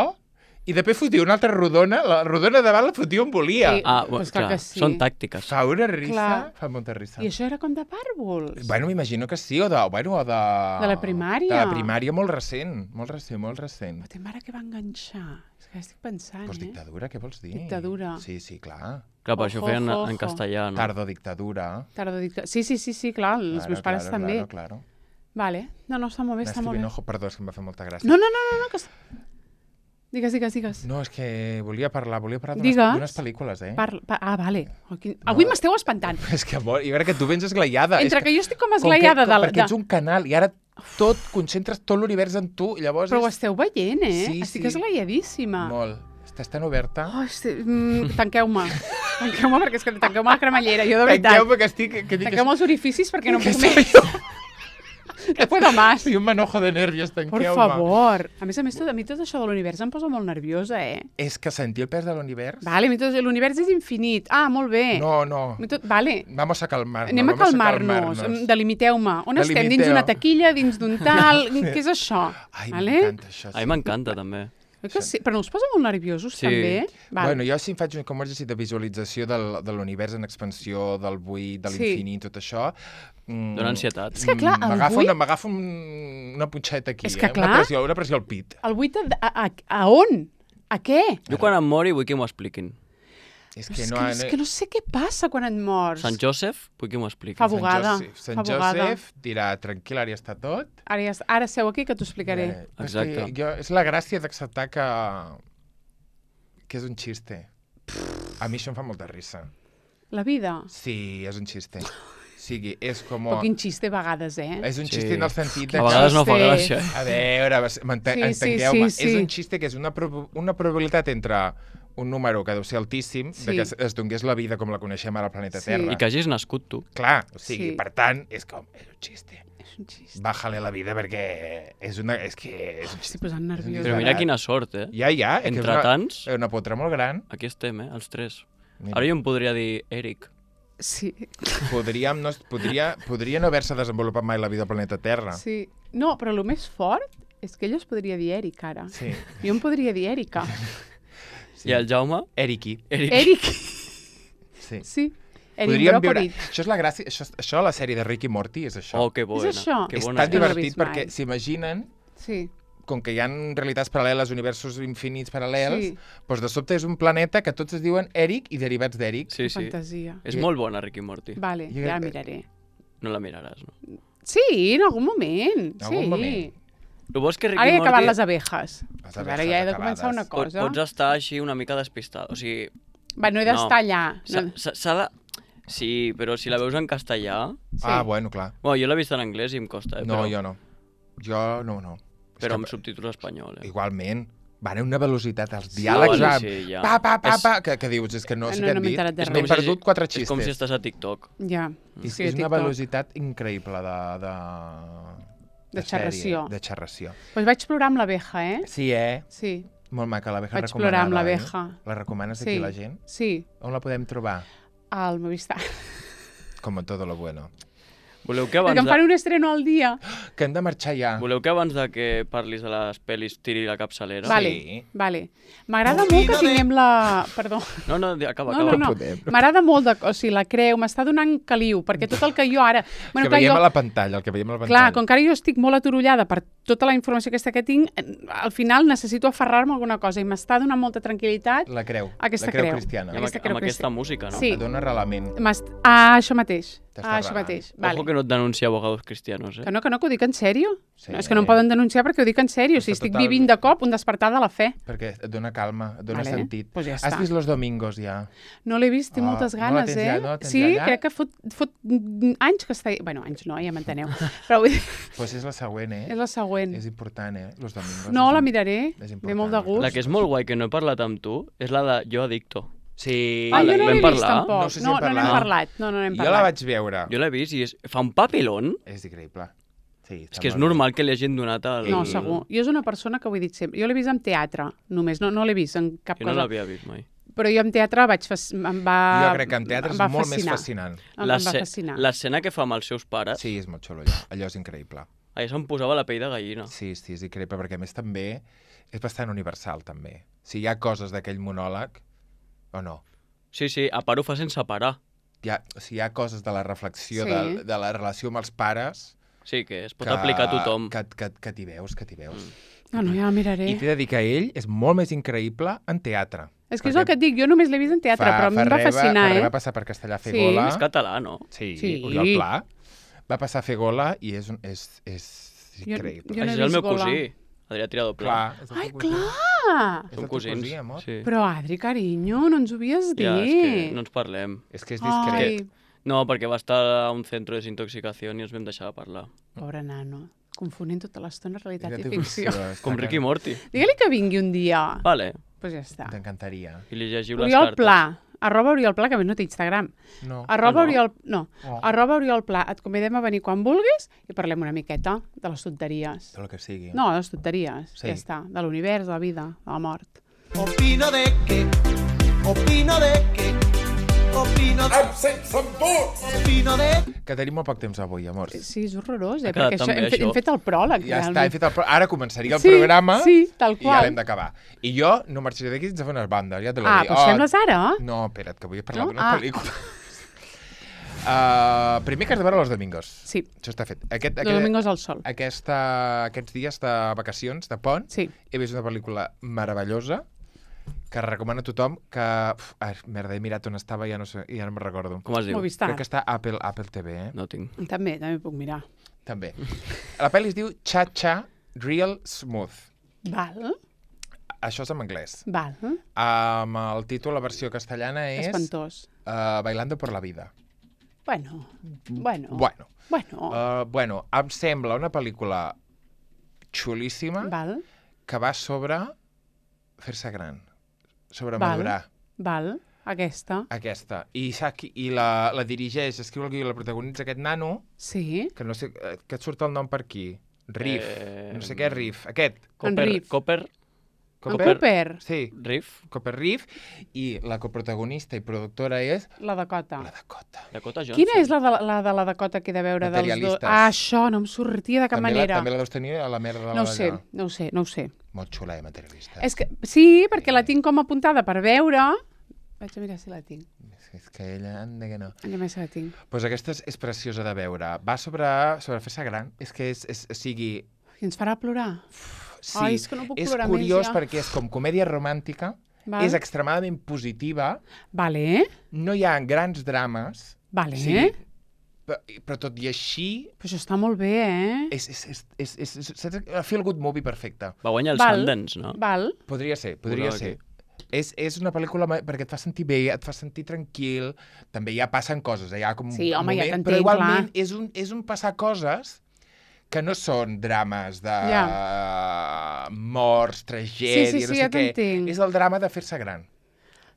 i després fotia una altra rodona, la rodona davant la fotia on volia. I- Ah, Pues pues clar clar, que sí. són tàctiques. Fa una risa, Clar. fa molta risa. I això era com de pàrvols. Bueno, m'imagino que sí, o de, bueno, o de... De la primària. De la primària molt recent, molt recent, molt recent. Però té mare que va enganxar. És que estic pensant, Pues eh? dictadura, què vols dir? Dictadura. Sí, sí, clar, Clar, per això Ojo, feien ojo, en ojo. castellà, no? Tardodictadura. Tardodicta... Sí, sí, sí, sí, clar, els Claro, meus pares claro, també. Claro, claro. Vale. No, no, està molt bé, està Nasty molt bé. Binojo, perdó, és que em va fer molta gràcia. No, no, no, no, no, que... Digues, digues, digues. No, és que volia parlar, volia parlar Digues. d'unes d'unes pel·lícules, eh? Parla, pa... Ah, vale. Oh, quin... Avui No. m'esteu espantant. És que, amor, jo crec que tu vens esglaiada. Entre és que jo estic com com esglaiada que, de... la- Perquè de... ets un canal i ara tot, concentres tot l'univers en tu, i llavors Però ho és esteu veient, eh? Sí, estic sí. esglaiadíssima. molt. Estàs tan oberta. Oh, estic... mm, tanqueu-me. Tanqueu-me, perquè és que tanqueu-me la cremallera, jo de veritat. Tanqueu-me que estic... Que dic, Tanqueu-me els orificis perquè no que puc soy més. yo. No puedo más. Soy un manojo de nervios, Por tanqueu-me. favor. A més a més, tot, a mi tot això de l'univers em posa molt nerviosa, eh? És que sentir el pes de l'univers... Vale, a mi tot... l'univers és infinit. Ah, molt bé. No, no. A mi tot... Vale. Vamos a calmar-nos. Anem a vamos calmar-nos. calmar-nos. Delimiteu-me. On estem? Dins Delimiteu. d'una taquilla, dins d'un tal... Què és això? Ai, Vale? m'encanta això. A mi m'encanta, també. Oi que sí? Però no us posa molt nerviosos, Sí. també? Vale. Bueno, jo sí em faig un com exercici de visualització del, de l'univers en expansió, del buit, de Sí. l'infinit, tot això. Mm, Dóna ansietat. És que, clar, el M'agafa buit- una, m'agafa un, una punxeta aquí, És que, eh? clar- Una pressió, una pressió al pit. El buit, a, a, a on? A què? Jo quan em mori vull que m'ho expliquin. És És que que, no... és que no sé què passa quan et mors. Sant Joseph, vull que m'ho expliquin. Fa Sant bugada, Josep, Sant fa bugada. Josep dirà, tranquil, ara ja està tot. Ara, ja, ara seu aquí que t'ho explicaré. Eh, però és Exacte. que jo, és la gràcia d'acceptar que, que és un xiste. A mi això em fa molta risa. La vida. Sí, és un xiste. O sigui, és com... Però quin xiste a vegades, eh? És un Sí. xiste en el sentit de A que... vegades no fa Xiste. gràcia. eh? A veure, vas- m'ente- Sí, sí, entengueu-me. sí, sí. És un xiste que és una, prob una probabilitat entre un número que deu ser altíssim, Sí. de que es, es donés la vida com la coneixem ara al planeta Sí. Terra. I que hagis nascut tu. Clar, o sigui, Sí. per tant, és com... És un xiste. És un xiste. Bájale la vida perquè és una... És que... És un Estic xiste. posant nerviosa. Però mira quina sort, eh? Ja, ja. és que és Entre una, tants, és una potra molt gran. aquí estem, eh? Els tres. Mira. Ara jo em podria dir Eric. Sí, Podríem no, podria, podria no haver-se desenvolupat mai la vida al planeta Terra. sí. No, però el més fort és que ell es podria dir Eric, ara. Sí. Jo em podria dir Erika. I el Jaume? Eriki. Eric. Eric. Sí. Sí. Eric Podríem viure... Brockovich. Això és la gràcia... Això, això la sèrie de Rick i Morty és això. Oh, que bona. això? Que és bona. tan No l'he divertit vist mai. perquè s'imaginen, Sí. com que hi ha realitats paral·leles, universos infinits paral·lels, Sí. doncs de sobte és un planeta que tots es diuen Eric i derivats d'Eric. Sí, sí. Fantasia. És molt bona, Rick i Morty. Vale, Jo- ja la miraré. No la miraràs, no? Sí, en algun moment. En algun sí. moment. El bo és que Rick Ara i he acabat Morty les abejas. Les Pues abejas ara ja he de començar acabades. una pot, cosa. pots estar així una mica despistat. O sigui, Va, no he d'estar allà. s'ha No. s'ha- s'ha de... Sí, però si la veus en castellà... Sí. Ah, bueno, clar. Bueno, jo l'he vist en anglès i em costa, eh? No, però, jo no. Jo no, no. És Però que- amb subtítols espanyol, eh? Igualment. Van a una velocitat, els diàlegs Sí, van... sí, ja. Pa, pa, pa, És- pa, que, que dius, és que no sé No, què no han m'he dit. enterat de És res. que he com si- perdut quatre És xistes. com si estàs a TikTok. Ja. És, Sí, és una TikTok. velocitat increïble de... De, De sèrie, xerració. De xerració. Pues vaig plorar amb l'abeja, eh? Sí, eh? Sí. Molt maca, l'abeja Vaig plorar amb recomanada, l'abeja. Eh? La recomanes Sí. aquí a la gent? Sí. On la podem trobar? Al Movistar. Com en todo lo bueno. Voleu que Perquè abans em fan de... un estreno al dia. Que hem de marxar ja. Voleu que abans de que parlis de les pel·lis tiri la capçalera? Vale, Sí. vale. M'agrada molt que tinguem la... Perdó. No, no, di- acaba, No, acaba. no, no. podem. M'agrada molt, de... o sigui, la creu, m'està donant caliu, perquè tot el que jo ara... que veiem a la pantalla, el que veiem a la pantalla. Clar, com que ara jo estic molt aturullada per tota la informació aquesta que tinc, eh, al final necessito aferrar-me a alguna cosa i m'està donant molta tranquil·litat. La creu. Aquesta la creu, creu. cristiana. I amb, Aquesta aqu- creu amb que aquesta sí. música, no? Sí. Et dona relament. M'est- Ah, això mateix. T'està Ah, això relajant. mateix. Ojo Vale. que no et denuncia abogados cristianos, eh? Que no, que no, que ho dic en sèrio. Sí. No, és que no em poden denunciar perquè ho dic en sèrio. O sigui, Està estic total- vivint de cop un despertar de la fe. Perquè et dona calma, et dona Vale, sentit. pues ja Has està. vist Los Domingos, ja? No l'he vist, tinc Ah, moltes no la ganes, tens eh? ja, no la tens sí, ja allà? crec que fot, fot anys que està... Bueno, anys no, ja m'enteneu. Però vull dir, Doncs pues és la següent, eh? és la següent. És important, eh? Los Domingos. No, és la un- miraré. és Ve molt de important. gust. La que és molt guai, que no he parlat amb tu, és la de Jo Adicto. Sí. Ah, jo la- no vam l'he vist, parlar? tampoc. No sé si no, hem no n'hem parlat. parlat. No, no n'hem Jo la parlat. vaig veure. Jo l'he vist i és... fa un papelón. És increïble. Sí, És que és normal que li hagin donat el... No, segur. Jo és una persona que ho he dit sempre. Jo l'he vist en teatre, només. No, no l'he vist en cap Jo no cosa. l'havia vist mai. Però jo en teatre vaig fas... em va... Jo crec que en teatre em és va molt més fascinar. fascinant. Em, em va L'esce- fascinar. L'escena que fa amb els seus pares, Sí, és molt xulo allò. Allò és increïble. allà se'm posava la pell de gallina. Sí, sí, és increïble, perquè a més també és bastant universal, també. Si hi ha coses d'aquell monòleg, o no. Sí, sí, a part ho fa sense parar. Hi ha, si hi ha coses de la reflexió, Sí. de, de la relació amb els pares... Sí, que es pot que, aplicar a tothom. Que, que, que t'hi veus, que t'hi veus. Mm. No, no, ja la miraré. I t'he de dir que ell és molt més increïble en teatre. És que és el que et dic, jo només l'he vist en teatre, però a mi em va fascinar, fa eh? va passar per Castellà a fer Sí. gola. És català, no? Sí, Sí. Oriol Pla. Va passar a fer gola i és, un- és, és Jo- increïble. jo no he Això és el vist meu Gola. cosí, Adrià Tirador Pla. Clar, és el Ai, teu cosí. clar! És el Som teu cosins. cosí, amor. Sí. Però, Adri, carinyo, no ens ho havies dit. Ja, és que no ens parlem. És que és discret. Ai, No, perquè va estar a un centre de desintoxicació i ens vam deixar de parlar. pobre nano. Confonent tota l'estona realitat Era i teu ficció. cosí, està Com que- Ricky Morty. Digue-li que vingui un dia. Vale. Pues ja està. T'encantaria. I li llegiu les Oriol cartes. Pla. Arroba Oriol Pla, que a més no té Instagram. No. Arroba Ah, no? Oriol... No. Oh. Arroba Oriol Pla. Et convidem a venir quan vulguis i parlem una miqueta de les tonteries. Tot el que sigui. No, de les tonteries. Sí. Ja està. De l'univers, de la vida, de la mort. Opino de que, opino de que, opino de... Opino de... Que tenim molt poc temps avui, amors. Sí, és horrorós, eh? Ha quedat Perquè això, tan bé, hem, fet, hem això. fet el pròleg, Ja està, realment. he fet el... pro- Ara començaria el Sí, programa sí, tal i ja qual. l'hem d'acabar. I jo no marxaré d'aquí sense fer unes bandes, ja te l'he Ah, dit. doncs fem-les ara? No, espera't, que vull parlar No? d'una Ah. pel·lícula. Uh, primer que has de veure Los Domingos. Sí, Això està fet. Aquest, Los Domingos al sol. aquesta, aquests dies de vacacions, de pont, Sí. he vist una pel·lícula meravellosa que recomano a tothom que... Uf, ai, merda, he mirat on estava i ja no, sé, ja no me'n recordo. Com es diu? Movistar. Crec que està a Apple, Apple T V, eh? No tinc. També, també puc mirar. També. La pel·li es diu Cha-Cha Real Smooth. Val, Això és en anglès. val. Amb el títol, la versió castellana és Espantós. uh, Bailando por la vida. Bueno, bueno, Bueno, bueno. uh, bueno, em sembla una pel·lícula xulíssima Val, que va sobre fer-se gran, sobre Val. madurar. val, aquesta. Aquesta. I, sap qui- i la, la dirigeix, escriu el guió i la protagonitza aquest nano, Sí, que no sé, eh, que et surt el nom per aquí. Riff. Eh, No sé què és Riff. Aquest. Copper, Riff. Copper, en Cooper, Sí, Riff, Copper Riff. I la coprotagonista i productora és la Dakota. la Dakota. Dakota Johnson. Quina és la de la, de la Dakota que he de veure dels dos? Materialistes. Ah, això, no em sortia de cap també manera. La, també la deus tenir a la merda de la No ho sé, d'allà. no ho sé, no ho sé. Molt xula, eh, materialista. És que, sí, perquè la tinc com apuntada per veure. Vaig a mirar si la tinc. És, és que ella, anda que no. Allà més la tinc. Pues aquesta és, és preciosa de veure. Va sobre, sobre fer-se gran. És que és, és, o sigui... I ens farà plorar. Sí, Ai, és que no puc és plorar curiós més, ja. perquè és com comèdia romàntica, Val. és extremadament positiva, Vale, no hi ha grans drames, vale. sí, però, però tot i així Però això està molt bé, eh? és, és, és, és, és, és, és a feel good movie perfecte. Va guanyar el Val. Sundance, no? Val. Podria ser, podria Veureu ser. aquí. És, és una pel·lícula ma- perquè et fa sentir bé, et fa sentir tranquil, també ja passen coses, eh? Hi ha com Sí, un home, ja moment, t'entenc, però igualment clar. és un, és un passar coses que no són drames de morts, tragèdia, Sí, sí, sí, no sé ja què. t'entenc. És el drama de fer-se gran.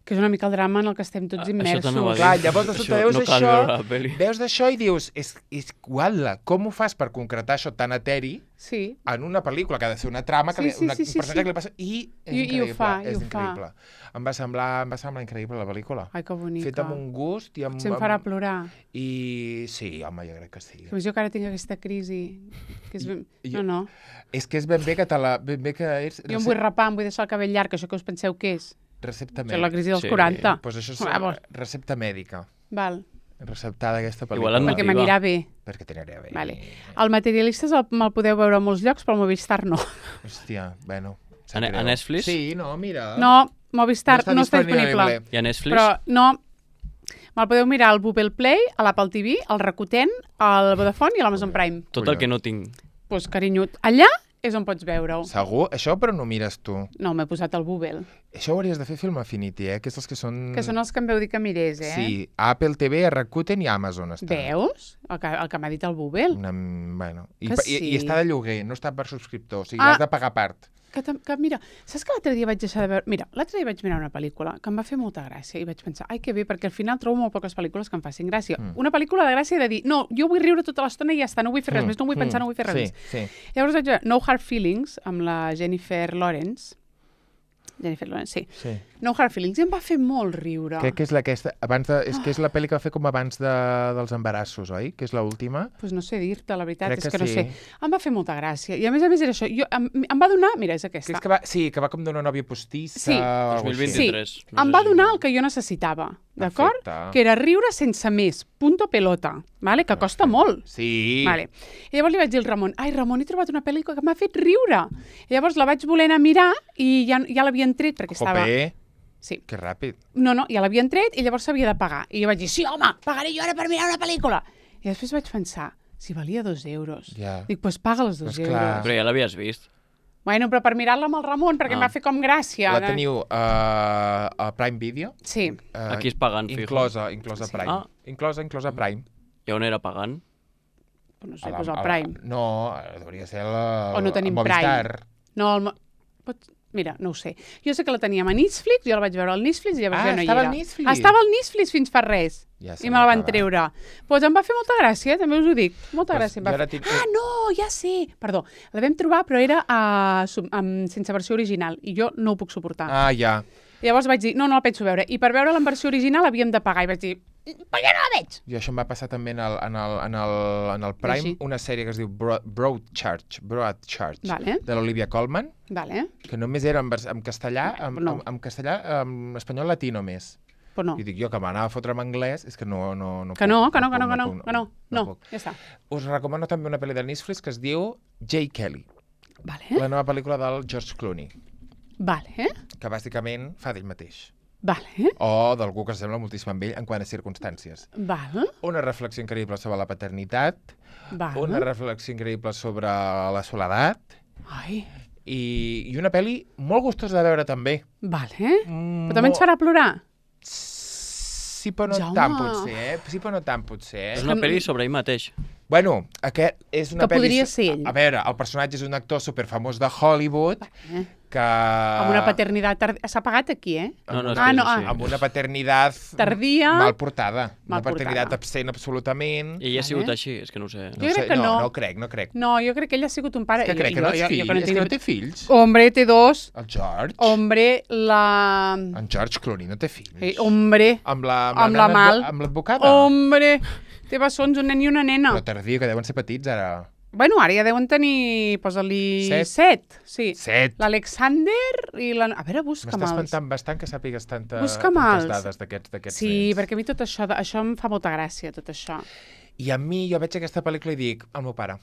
Que és una mica el drama en el que estem tots Ah, això immersos. també ho ha dit. Clar, llavors de sobte Això veus no cal això, veure la peli. veus d'això i dius, és, és guala, com ho fas per concretar això tan eteri Sí, en una pel·lícula que ha de ser una trama, que Sí, li, sí, una, sí, un sí, personatge sí. que li passa... I és I- i ho increïble, fa, i és ho fa. increïble. Em va semblar, em va semblar increïble la pel·lícula. ai, que bonica. Feta amb un gust i amb... Potser em farà plorar. I sí, home, jo crec que sí. Que jo que ara tinc aquesta crisi. Que és ben... I- No, no. És que és ben bé que te la... Ben bé que és Jo em vull rapar, em vull deixar el cabell llarg, això que us penseu que és? recepta Això és la mèdica. crisi dels Sí. quaranta. Pues això és Vamos. recepta mèdica. Val, Receptada aquesta Igual pel·lícula. en perquè Nativa. m'anirà bé. Perquè t'aniré bé. Vale. El Materialistes el- me'l podeu veure a molts llocs, però el Movistar no. Hòstia, bueno. A, sap Ne- greu. a Netflix? Sí, no, mira. No, Movistar no està disponible. I a Netflix? Però no, me'l podeu mirar al Google Play, a l'Apple T V, al Rakuten, al Vodafone i a l'Amazon Prime. Tot el que no tinc. Doncs, pues, carinyo, allà és on pots veure-ho. Segur? Això però no mires tu. No, m'he posat al Google. Això ho hauries de fer Film Affinity, eh? Que és els que són... Que són els que em veu dir que mirés, eh? Sí, a Apple T V, a Rakuten i a Amazon està. Veus? El que, el que m'ha dit el Google. Una... Bueno. I, Que pa- i, sí. I està de lloguer, no està per subscriptor. O sigui, Ah. has de pagar a part. Que, tam- que mira, saps que l'altre dia vaig deixar de veure... Mira, l'altre dia vaig mirar una pel·lícula que em va fer molta gràcia i vaig pensar, ai, que bé, perquè al final trobo molt poques pel·lícules que em facin gràcia. Mm. Una pel·lícula de gràcia de dir, no, jo vull riure tota l'estona i ja està, no vull fer res Mm, més, no vull pensar, mm, no vull fer res sí, més. Sí, Llavors vaig veure No Hard Feelings amb la Jennifer Lawrence. Jennifer Lawrence, sí. sí. No Hard Feelings, i em va fer molt riure. Crec que és la aquesta... Abans de, és que és la pel·li que va fer com abans de, dels embarassos, oi? Que és l'última. Pues no sé dir-te, la veritat, Crec és que que, no sí. sé. Em va fer molta gràcia. I a més a més era això. Jo, em, em va donar... Mira, és Que aquesta. és que va, sí, que va com d'una nòvia postissa Sí. o alguna dos mil cosa així. vint-i-tres. Sí, no em sé va si- donar el que jo necessitava, d'acord? Perfecte. Que era riure sense més, punto pelota, vale? Que costa molt. Sí. Vale. I llavors li vaig dir al Ramon, ai, Ramon, he trobat una pel·lícula que m'ha fet riure. I llavors la vaig voler anar a mirar i ja, ja l'havien tret perquè estava... Jope. Sí. Que ràpid. No, no, ja l'havien tret i llavors s'havia de pagar. I jo vaig dir, sí, home, pagaré jo ara per mirar una pel·lícula. I després vaig pensar, si valia dos euros. Ja. Dic, doncs pues paga els dos Pues euros. clar. Però ja l'havies vist. Bueno, però per mirar-la amb el Ramon, perquè Ah. em va fer com gràcia. La teniu uh, a Prime Video? Sí. Uh, Aquí es pagant, fijo. Inclosa, inclosa Sí. Prime. Ah. Inclosa, inclosa Prime. I on era pagant? No sé, A la- doncs el a la- Prime. No, hauria de ser la, O no tenim el Movistar. No, el... Mo- Pot... Mira, no ho sé. Jo sé que la teníem a Netflix, jo la vaig veure al Netflix i llavors Ah, ja no hi estava era. al Netflix? Ah, estava al Netflix fins fa res. Ja I me la van sabia que treure. Doncs pues em va fer molta gràcia, també us ho dic. Molta Pues gràcia. Em va jo ara fer... tinc- Ah, no, ja sé. Perdó, la vam trobar, però era uh, sub, um, sense versió original i jo no ho puc suportar. Ah, ja. I llavors vaig dir, no, no la penso veure. I per veure-la en versió original havíem de pagar. I vaig dir, per què no la veig? I això em va passar també en el, en el, en el, en el Prime, Així. una sèrie que es diu Broad, Broadchurch, Broadchurch Vale. de l'Olivia Colman, Vale, que només era en, vers- en castellà, en, No. en, en castellà, en espanyol latí només. però no. I dic jo que m'anava a fotre en anglès, és que no, no, no Que puc, no, que no, que puc, no, que no, puc, que no. No, puc. ja està. Us recomano també una pel·li de Netflix que es diu Jay Kelly, Vale, la nova pel·lícula del George Clooney, vale, que bàsicament fa d'ell mateix. vale, O d'algú que s'assembla moltíssim amb ell en quant a circumstàncies. vale, Una reflexió increïble sobre la paternitat, vale. una reflexió increïble sobre la soledat Ai, i, i una pel·li molt gustosa de veure també. vale. Mm, Però també ens farà plorar. Sí, però no Jaume. tant potser, eh? Sí, però no tant potser, És eh? una que- pel·li sobre ell mateix. Bueno, aquest és una Que pel·li... podria ser ell. A veure, el personatge és un actor superfamós de Hollywood Eh? que... Amb una paternitat tardia. S'ha pagat aquí, eh? No, no, és Ah, que no, és ah. així. Amb una paternitat... Tardia. Mal portada. Mal una paternitat portada. absent absolutament. I ella ha sigut Vale. així, és que no ho sé. Jo crec sé, que no. No, crec, no crec. No, jo crec que ell ha sigut un pare... És que crec que jo, no és jo, fill, jo, que no és que tinc... no té fills. Hombre, té dos. El George. Hombre, la... En George Clooney no té fills. Eh, hombre, Amb la, amb la nana Mal. advo- Amb l'advocada. hombre. Té bessons, un nen i una nena. Però tardío, que deuen ser petits ara. Bueno, ara ja deuen tenir... Posa-li... Set. Set. Sí. Set. L'Alexander i la... A veure, busca'm M'està els. espantant bastant que sàpigues tanta, Busca'm tantes els. dades d'aquests d'aquests Sí, nens. perquè a mi tot això, de- això em fa molta gràcia, tot això. I a mi, jo veig aquesta pel·lícula i dic, el meu pare.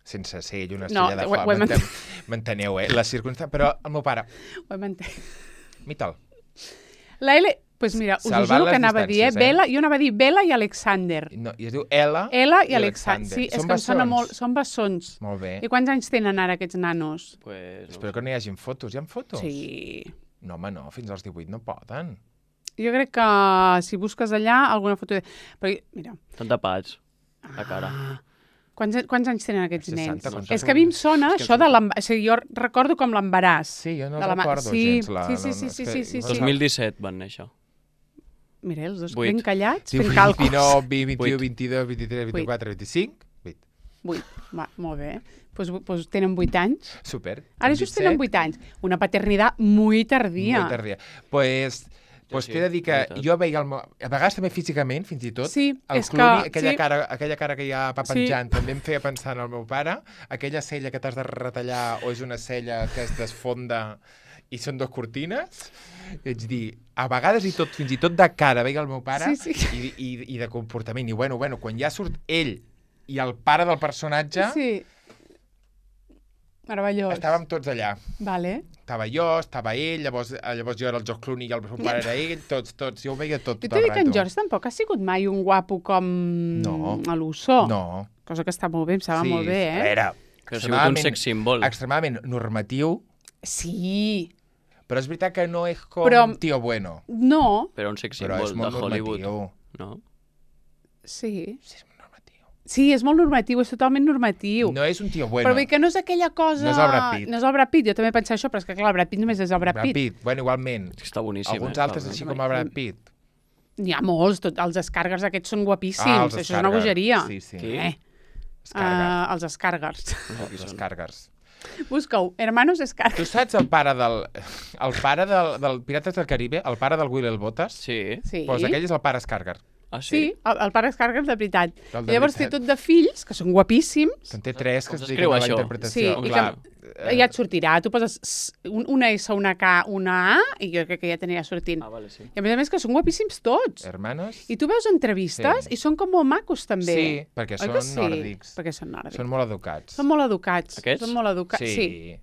Sense ser ell una No, estrella de ho- fama, ho hem m'enten- m'enteneu, eh? Les circumstàncies... Però el meu pare, Ho hem entès. mita'l. La L... Pues mira, us ho Salvant juro les que anava a dir, eh? distàncies, eh? Bella, jo anava a dir Bella i Alexander. No, I es diu Ella, Ella i Alexander. Sí, és Són que em sona bessons? molt... Són bessons. Molt bé. I quants anys tenen ara aquests nanos? Pues, no. Espero que no hi hagin fotos. Hi ha fotos? Sí. No, home, no. Fins als divuit no poden. Jo crec que si busques allà alguna foto... De... Però, mira, Estan tapats, la cara. Ah. Quants, quants anys tenen aquests seixanta, nens? quants És que a mi em sona És que això de l'embaràs. O sigui, jo recordo com l'embaràs. Sí, jo no De la ma- recordo sí, gens. La, sí, sí, no, sí, no, és sí, que- sí, sí, no sí. dos mil disset van néixer. Mira, els dos Vuit. ben callats, Diu fent càlculs. dinou, vint, vint-i-u, Vuit. vint-i-dos, vint-i-tres, vint-i-quatre, vint-i-cinc. Vuit. Vuit. Va, molt bé. Pues, pues tenen vuit anys. Super. Ara just tenen vuit anys. Una paternitat muy tardía. Molt tardia. Pues, pues sí, t'he de dir que la veritat. jo veia el meu... A vegades també físicament, fins i tot, Sí, el és Clooney, que- aquella, sí. cara, aquella cara que hi ha pa penjant, també em feia pensar en el meu pare, aquella cella que t'has de retallar o és una cella que es desfonda i són dues cortines, i vaig dir, a vegades i tot, fins i tot de cara veia el meu pare Sí, sí. I, i, i de comportament. I bueno, bueno, quan ja surt ell i el pare del personatge, Sí. Meravellós. estàvem tots allà. Vale. Estava jo, estava ell, llavors, eh, llavors jo era el George Clooney i el meu pare era ell, tots, tots, jo ho veia tot, Jo tot t'he el dit que en rato. George tampoc ha sigut mai un guapo com No. a l'Usso. No. Cosa que està molt bé, em sembla molt bé, A eh? veure, Que ha sigut un sex symbol. extremadament normatiu, Sí. però és veritat que no és com Però- tío bueno. No. Però un sex Però symbol és de molt Hollywood. normatiu. No? Sí. Sí, és normatiu. Sí, és molt normatiu, és totalment normatiu. No és un tío bueno. Però bé que no és aquella cosa... No és el Brad Pitt. No és el Brad Pitt, jo també pensava això, però és que clar, el Brad Pitt només és el Brad, Brad Pitt. Bueno, igualment. És que està boníssim. Alguns eh? altres Està així bé. com el Brad Pitt. N'hi ha molts, tot, els escàrgars aquests són guapíssims, Ah, els això és una escàrgars. bogeria. Sí, sí. Qui? Eh, Escàrgars. uh, els escàrgars. Els escàrgars. Busca-ho, hermanos Tu escàrgars. saps el pare del... El pare del, del Pirates del Caribe, el pare del Will Botas? Sí. Sí. Pues aquell és el pare Escàrgar. Ah, Sí, sí? el, el pare escàrgars de veritat. El de Llavors veritat. té tot de fills, que són guapíssims. Que en té tres que Com es s'escriu dediquen a la això? interpretació. Sí, i Clar, que ja et sortirà. Tu poses s- un, una S, una K, una A, i jo crec que ja t'anirà sortint. Ah, vale, sí. I a més a més que són guapíssims tots. Hermanos? I tu veus entrevistes Sí. i són com molt macos també. Sí, perquè Oi són que sí? nòrdics. Perquè són nòrdics. Són molt educats. Són molt educats. Aquests? Són molt educats. Sí. Sí.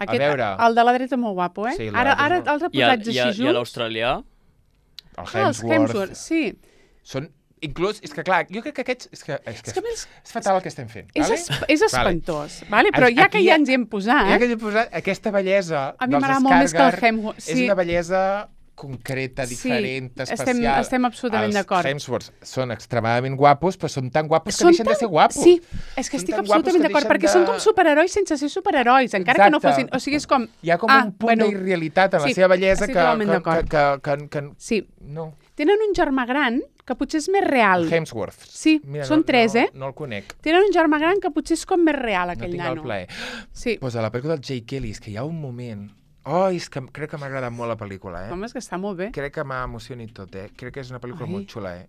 Aquest, veure... El de la dreta és molt guapo, eh? Sí, el de la ara, dreta ara és molt- els I, a, reposats i, a, així i a junts... l'australià? El Ah, els Hemsworth, sí. Són... Inclús, és que clar, jo crec que aquests... És que, és que És que a més- és fatal el que estem fent. És, vale? es, és espantós, vale? però ja que Aquí ja hi ha- ens hi hem posat... Ja que he posat aquesta bellesa A mi dels m'agrada molt més que el Skarsgård, Hemsworth, és sí. una bellesa concreta, Sí, diferent, estem- especial. estem absolutament d'acord. Els Hemsworths són extremadament guapos, però són tan guapos que Són deixen de ser guapos. Sí, és que Són estic tan guapos absolutament que d'acord, deixen perquè de- són com superherois sense ser superherois, encara que no Exacte. fossin... O sigui, és com... Hi ha com ah, un punt bueno, d'irrealitat en la sí, seva bellesa estic que, totalment que, d'acord. que, que, que, que... Sí, No. tenen un germà gran que potser és més real. Hemsworth. Sí, són no, tres, no, eh? No el conec. Tenen un germà gran que potser és com més real, No aquell tinc nano. el plaer. Sí, Pues a la pel·lícula del Jake Kelly, és que hi ha un moment... Oh, és que crec que m'ha agradat molt la pel·lícula, eh? home, és que està molt bé. Crec que m'ha emocionat tot, eh? Crec que és una pel·lícula Ai. molt xula, eh?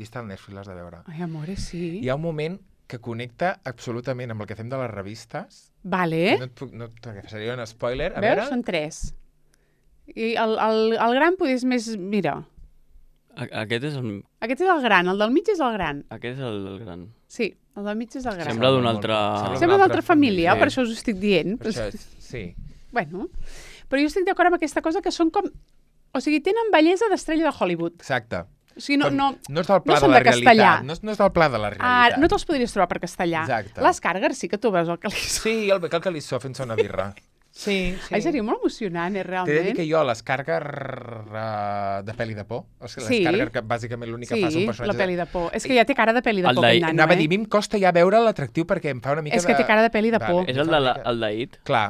I està al Netflix, l'has de veure. Ai, amore, sí. Hi ha un moment que connecta absolutament amb el que fem de les revistes. Vale. No et puc... No, perquè seria un spoiler. A Veus? veure... Són tres. I el, el, el gran potser és més... Mira, A, aquest és el, aquest és el gran, el del mig és el gran. aquest és el, el gran. Sí, el del mig és el gran. Sembla d'una molt- altra... sembla Sembla d'altra família, Sí. per això us ho estic dient. Per això, és- sí. Bueno, però jo estic d'acord amb aquesta cosa que són com... O sigui, tenen bellesa d'estrella de Hollywood. Exacte. O sigui, no... Com- no, no és del pla no de són la de castellà. realitat. No és, no és del pla de la ah, realitat. no te'ls podries trobar per castellà. Exacte. Les Skarsgård sí que tu veus el que li sona. Sí, el Becal Calissó fent-se una birra. Sí, sí. Ai, seria molt emocionant, eh, T'he de realment. dir que jo, l'Escarga uh, de pel·li de por, o sigui, Sí. l'Escarga que bàsicament l'únic que fa són Sí, personatges... la pel·li de por. És que ja té cara de pel·li de El por, d'ahir- aquell nano, Anava a eh? dir, a mi em costa ja veure l'atractiu perquè em fa una mica És que de... té cara de pel·li de por. És em el fa de una la, mica- el d'ahit? Clar.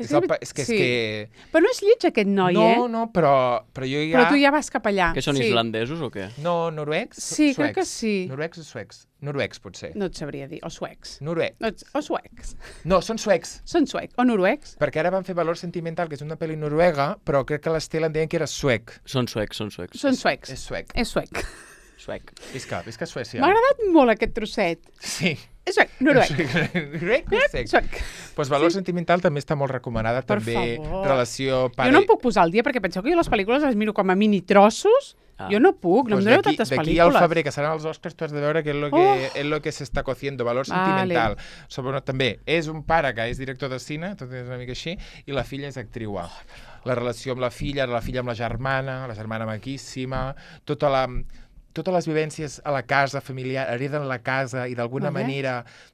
És És, que- el, pa- és que... sí. És que... Però no és lleig, aquest noi, no, eh? no, però, però jo ja... Però tu ja vas cap allà. Que són sí. islandesos o què? No, noruecs? Sí, Suecs. crec que sí. Noruecs o suecs? Noruecs, potser. No et sabria dir. O suecs. Noruecs. No, ets- o suecs. No, són suecs. Són suecs. O noruecs. Perquè ara van fer Valor Sentimental, que és una pel·li noruega, però crec que l'Estel en deien que era suec. Són suecs, són suecs. Són suecs. És suec. És suec. Suec. Visca, visca Suècia. M'ha agradat molt aquest trosset. Sí. És suec. Noruec. Noruec o suec? Suec. Pues Valor Sentimental també està molt recomanada, Per també favor. relació pare... Jo no em puc posar al dia perquè penseu que jo les pel·lícules les miro com a mini trossos. Ah. Jo no puc, no Pues em doneu d'aquí- tantes D'aquí al pel·lícules. febrer, que seran els Oscars, tu has de veure què és lo que, Oh. és lo que s'està cociendo, Valor Vale. Sentimental. Sobre, també, és un pare que és director de cine, tot és una mica així, i la filla és actriu. Oh, la relació amb la filla, la filla amb la germana, la germana maquíssima, tota la... totes les vivències a la casa familiar, hereden la casa i d'alguna Vale. manera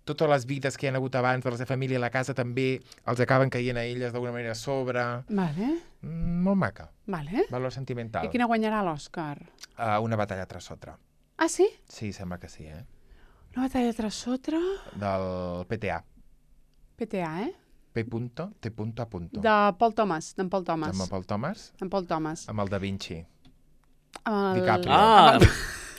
totes les vides que hi ha hagut abans de la seva família a la casa també els acaben caient a elles d'alguna manera a sobre. Vale, Mm, molt maca. vale. Valor Sentimental. I quina guanyarà l'Òscar? Uh, una batalla tras otra. Ah, sí? Sí, sembla que sí, eh? Una batalla tras otra? Del P T A. P T A, eh? P punto, T punto, A punto. De Paul Thomas, d'en Paul Thomas. Amb el Paul Thomas, En Paul Thomas. amb el Da Vinci. Amb el... DiCaprio. Ah,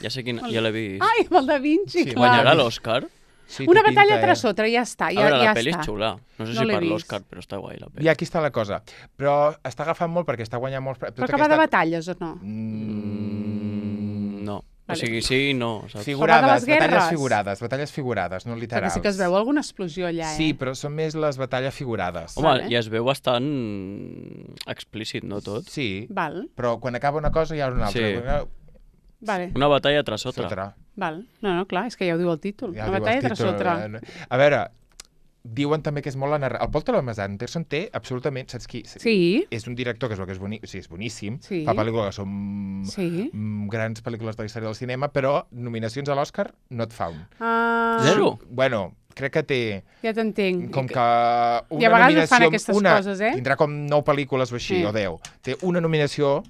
ja sé quin... Ja l'he vist. Ai, amb el Da Vinci, Sí, clar. Guanyarà l'Òscar? Sí, Una té batalla pinta, tras eh? otra, ja està, A ja, veure, ja la pel·li és està. xula. No sé No si l'he per vist. l'Òscar, però està guai la pel·li. I aquí està la cosa. Però està agafant molt perquè està guanyant molts... pre- Però tota que va de aquesta- batalles o no? Mm, no. O Vale. sigui, sí i no, saps? Figurades, Parlar de les batalles guerres. figurades, batalles figurades, no Perquè literals. sí que es veu alguna explosió allà, eh? Sí, però són més les batalles figurades. Home, Vale. i es veu bastant explícit, no tot? Sí, Val, però quan acaba una cosa hi ha una altra. Sí. Quan- vale, Una batalla tras otra. Sotra. val. No, no, clar, és que ja ho diu el títol. Ja Una diu el batalla tras títol, otra. eh? A veure, diuen també que és molt la narrativa. El Paul Thomas Anderson té absolutament... Saps qui? Sí, És un director que es veu que és, boni... o sigui, és boníssim. Sí. Fa pel·lícules que són sí. mm, grans pel·lícules de la història del cinema, però nominacions a l'Oscar no et fa un. Ah, Zero? Bueno, crec que té ja t'entenc. com que una I a vegades nominació... fan aquestes una, coses, eh? Tindrà com nou pel·lícules o així, Sí. o deu. Té una nominació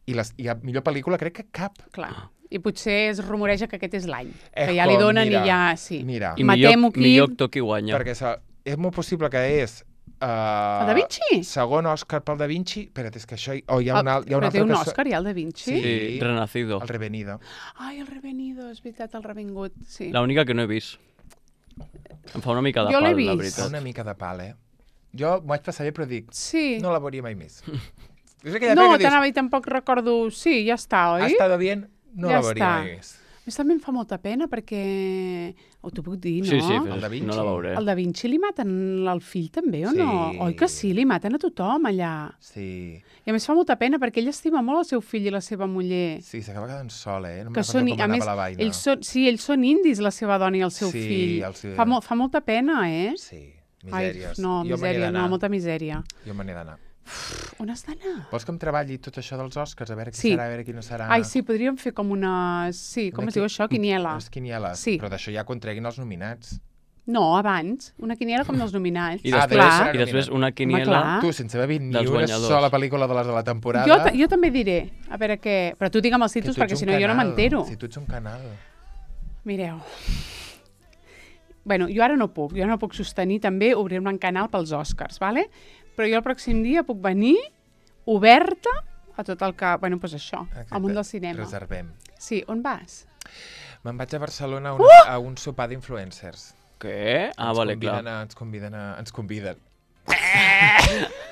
i, les, i a millor pel·lícula crec que cap. Clar. I potser es rumoreja que aquest és l'any. Eh, Que ja li com, donen mira, i ja... Sí. Mira, I Matem-ho millor, aquí. millor actor qui guanya. perquè sa, és molt possible que és... Uh, El Da Vinci? Segon Òscar pel Da Vinci. Espera't, és que això... Hi, oh, hi ha un, al- hi ha un Però té altre un que so- Òscar, ja, el Da Vinci? Sí. Sí, Renacido. El Revenido. Ai, el Revenido, és veritat, el Revingut. Sí. L'única que no he vist. Em fa una mica de Jo l'he pal, la vist. Fa veritat. una mica de pal, eh? Jo m'ho vaig passar bé, però dic, Sí. no la veuria mai més. És aquella No, pel·li que dius, t'anava i tampoc recordo... Sí, ja està, oi? ha estado bien, no Ja la veuria està. mai més. A més, també em fa molta pena perquè... Ho t'ho puc dir, no? Sí, sí, El però Da és- Vinci. no la veuré. El Da Vinci li maten el fill també, o Sí. no? Oi que sí? Li maten a tothom allà. Sí, I a més fa molta pena perquè ell estima molt el seu fill i la seva muller. sí, s'acaba quedant sol, eh? No me'n Que recordo són, com a anava més, la vaina. ells són, sí, ells són indis, la seva dona i el seu Sí, fill. el seu- Fa, mo, fa molta pena, eh? Sí. Misèries. Ai, no, Jo me n'he misèria, d'anar. no, molta misèria. Jo me n'he d'anar. On has d'anar? Vols que em treballi tot això dels Oscars? A veure qui Sí. serà, a veure qui no serà... Ai, sí, podríem fer com una... Sí, com Una es diu qui- això? Quiniela. Les quinieles. Sí. Però d'això ja quan treguin els nominats. No, abans. Una quiniela com dels nominats. I Ah, després, clar. i després una Home, quiniela... clar. Tu, sense haver vist ni Dels una guanyadors. sola pel·lícula de les de la temporada... Jo, ta- jo també diré, a veure què... Però tu digue'm els que títols tu ets perquè un si no jo no canal. m'entero. Si tu ets un canal. Mireu. Bueno, jo ara no puc. Jo no puc sostenir també obrir un canal pels Oscars, vale? Però jo el pròxim dia puc venir oberta a tot el que... Bueno, doncs això, Exacte. al món del cinema. Reservem. Sí, on vas? Me'n vaig a Barcelona a, una, Uh! a un sopar d'influencers. Què? Ah, ens vale, conviden clar. a, ens conviden a... Ens conviden.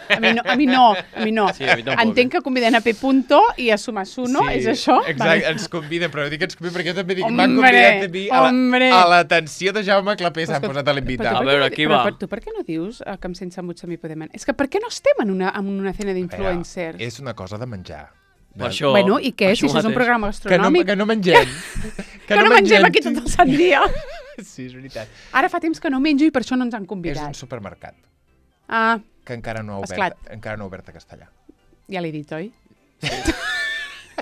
A mi no, a mi no. A mi no. Sí, a mi tampoc, Entenc que conviden a P. Punto i a Sumasuno, és això? Exacte, Vale. ens conviden, però no dic que ens conviden perquè jo també dic, Hombre, m'han convidat a mi a la- hombre. a l'atenció de Jaume Clapé, Però s'han és que- posat a l'invitar. però tu A per veure, què- aquí però va. per- Tu per què no dius eh, que em sents mucho a mi podem... És que per què no estem en una, en una cena d'influencers? És una cosa de menjar. Per això, Bueno, i què? per Si això és un mateix. programa Que no, gastronòmic. que no mengem. Que no mengem aquí tot el sant dia. Sí, és veritat. Ara fa temps que no menjo i per això no ens han És convidat. un supermercat Ah, que encara no ha obert, Esclat. encara no ha obert a Castellà. ja l'he dit, oi?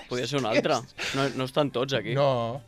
Podria ser un altre. No, no estan tots aquí. No.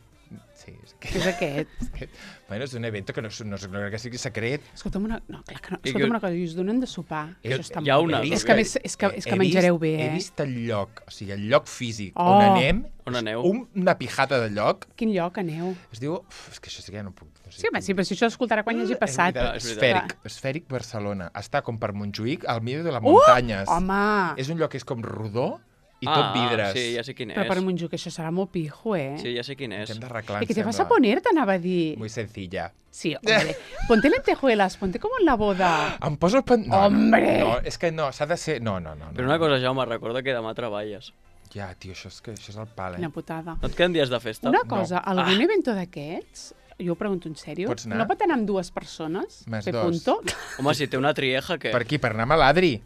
Sí, és que... Què és aquest? Bueno, és un evento que no, no, no crec que sigui secret. Escolta'm una, no, clar que no. I Escolta'm que- una cosa, i us donen de sopar. Jo- Això està hi ha molt una, bé. no? És que, a més, és que, és que He menjareu vist, bé, He eh? vist el lloc, o sigui, el lloc físic Oh. on anem, On aneu? un, una pijata de lloc, Quin lloc aneu? es diu... Uf, és que això sí que ja no puc... No sé Sí, home, sí, però si això escoltarà quan hi hagi passat. És veritat, És esfèric, esfèric Barcelona. Està com per Montjuïc, al mig de les Uh! muntanyes. Home! És un lloc que és com rodó i ah, tot vidres. sí, ja sé quin Però és. per Montjuïc això serà molt pijo, eh? Sí, ja sé quin és. Ens hem d'arreglar, ¿Y qué te em vas a sembla. poner? T'anava a dir. Muy sencilla. Sí, hombre. Ponte lentejuelas, ponte como en la boda. Em poso... Pen... No, Hombre! No, no, és que no, s'ha de ser... No, no, no. Però no. una cosa, Jaume, recorda que demà treballes. Ja, tio, això és, que, això és el pal, eh? Quina putada. No et queden dies de festa? Una cosa, No. algun evento d'aquests, jo ho pregunto en sèrio, Pots anar? no pot anar amb dues persones? Més Pe dos. punto? Home, si té una trieja, què? Per aquí, per anar a Maladri.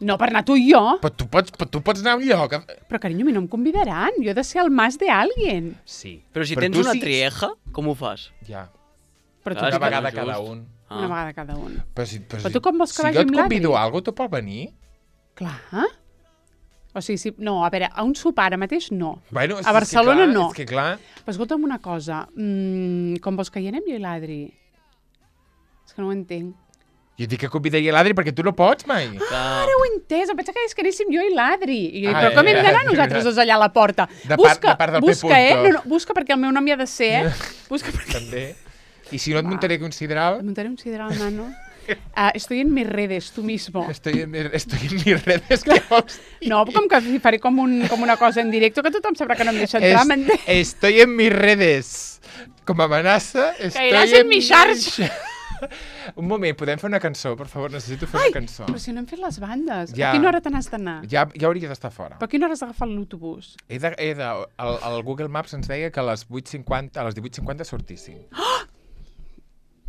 No, per anar tu i jo. Però tu pots, però tu pots anar a un lloc... Però, carinyo, a mi no em convidaran. Jo he de ser el mas de alguien. Sí. Però si Però tens tu una sí- trieja, com ho fas? Ja, Però tu, Clar, una és que vegada no és cada just. un. Ah. una vegada cada un. Però, si, però, Però si, tu com vols que si vagi jo et amb l'Adri? convido a alguna cosa, tu pots venir? Clar. O sigui, si, no, a veure, a un sopar ara mateix no. Bueno, és A Barcelona que clar, no. És que clar... Però escolta'm una cosa, mm, com vols que hi anem jo i l'Adri? És que no ho entenc. Jo dic que convidaria l'Adri perquè tu no pots mai. Clar. Ara ho he entès, em pensava que és que anéssim jo i l'Adri. I jo, Ah, però com eh, hem d'anar eh, nosaltres eh. dos allà a la porta? De part- busca, de part del P. busca, eh? Punto. No, no, busca perquè el meu nom hi ha de ser, eh? Busca perquè... També. I si no et muntaré aquí un sidral, Em muntaré un sideral, nano. Uh, estoy en mis redes, tú mismo. estoy en, mi- estoy en mis redes. Que vols dir? No, com que faré com, un, com una cosa en directe que tothom sabrà que no em deixa entrar, Es- m'entens? Estoy en mis redes. Com a amenaça, estoy Caeràs en mi xarxa. Un moment, podem fer una cançó, per favor? Necessito fer Ai, una cançó. però si no hem fet les bandes. Ja. A quina hora te n'has d'anar? Ja, ja hauria d'estar fora. Per a quina hora has d'agafar l'autobús? He de, he de, el, el Google Maps ens deia que a les vuit cinquanta, a les divuit cinquanta sortíssim.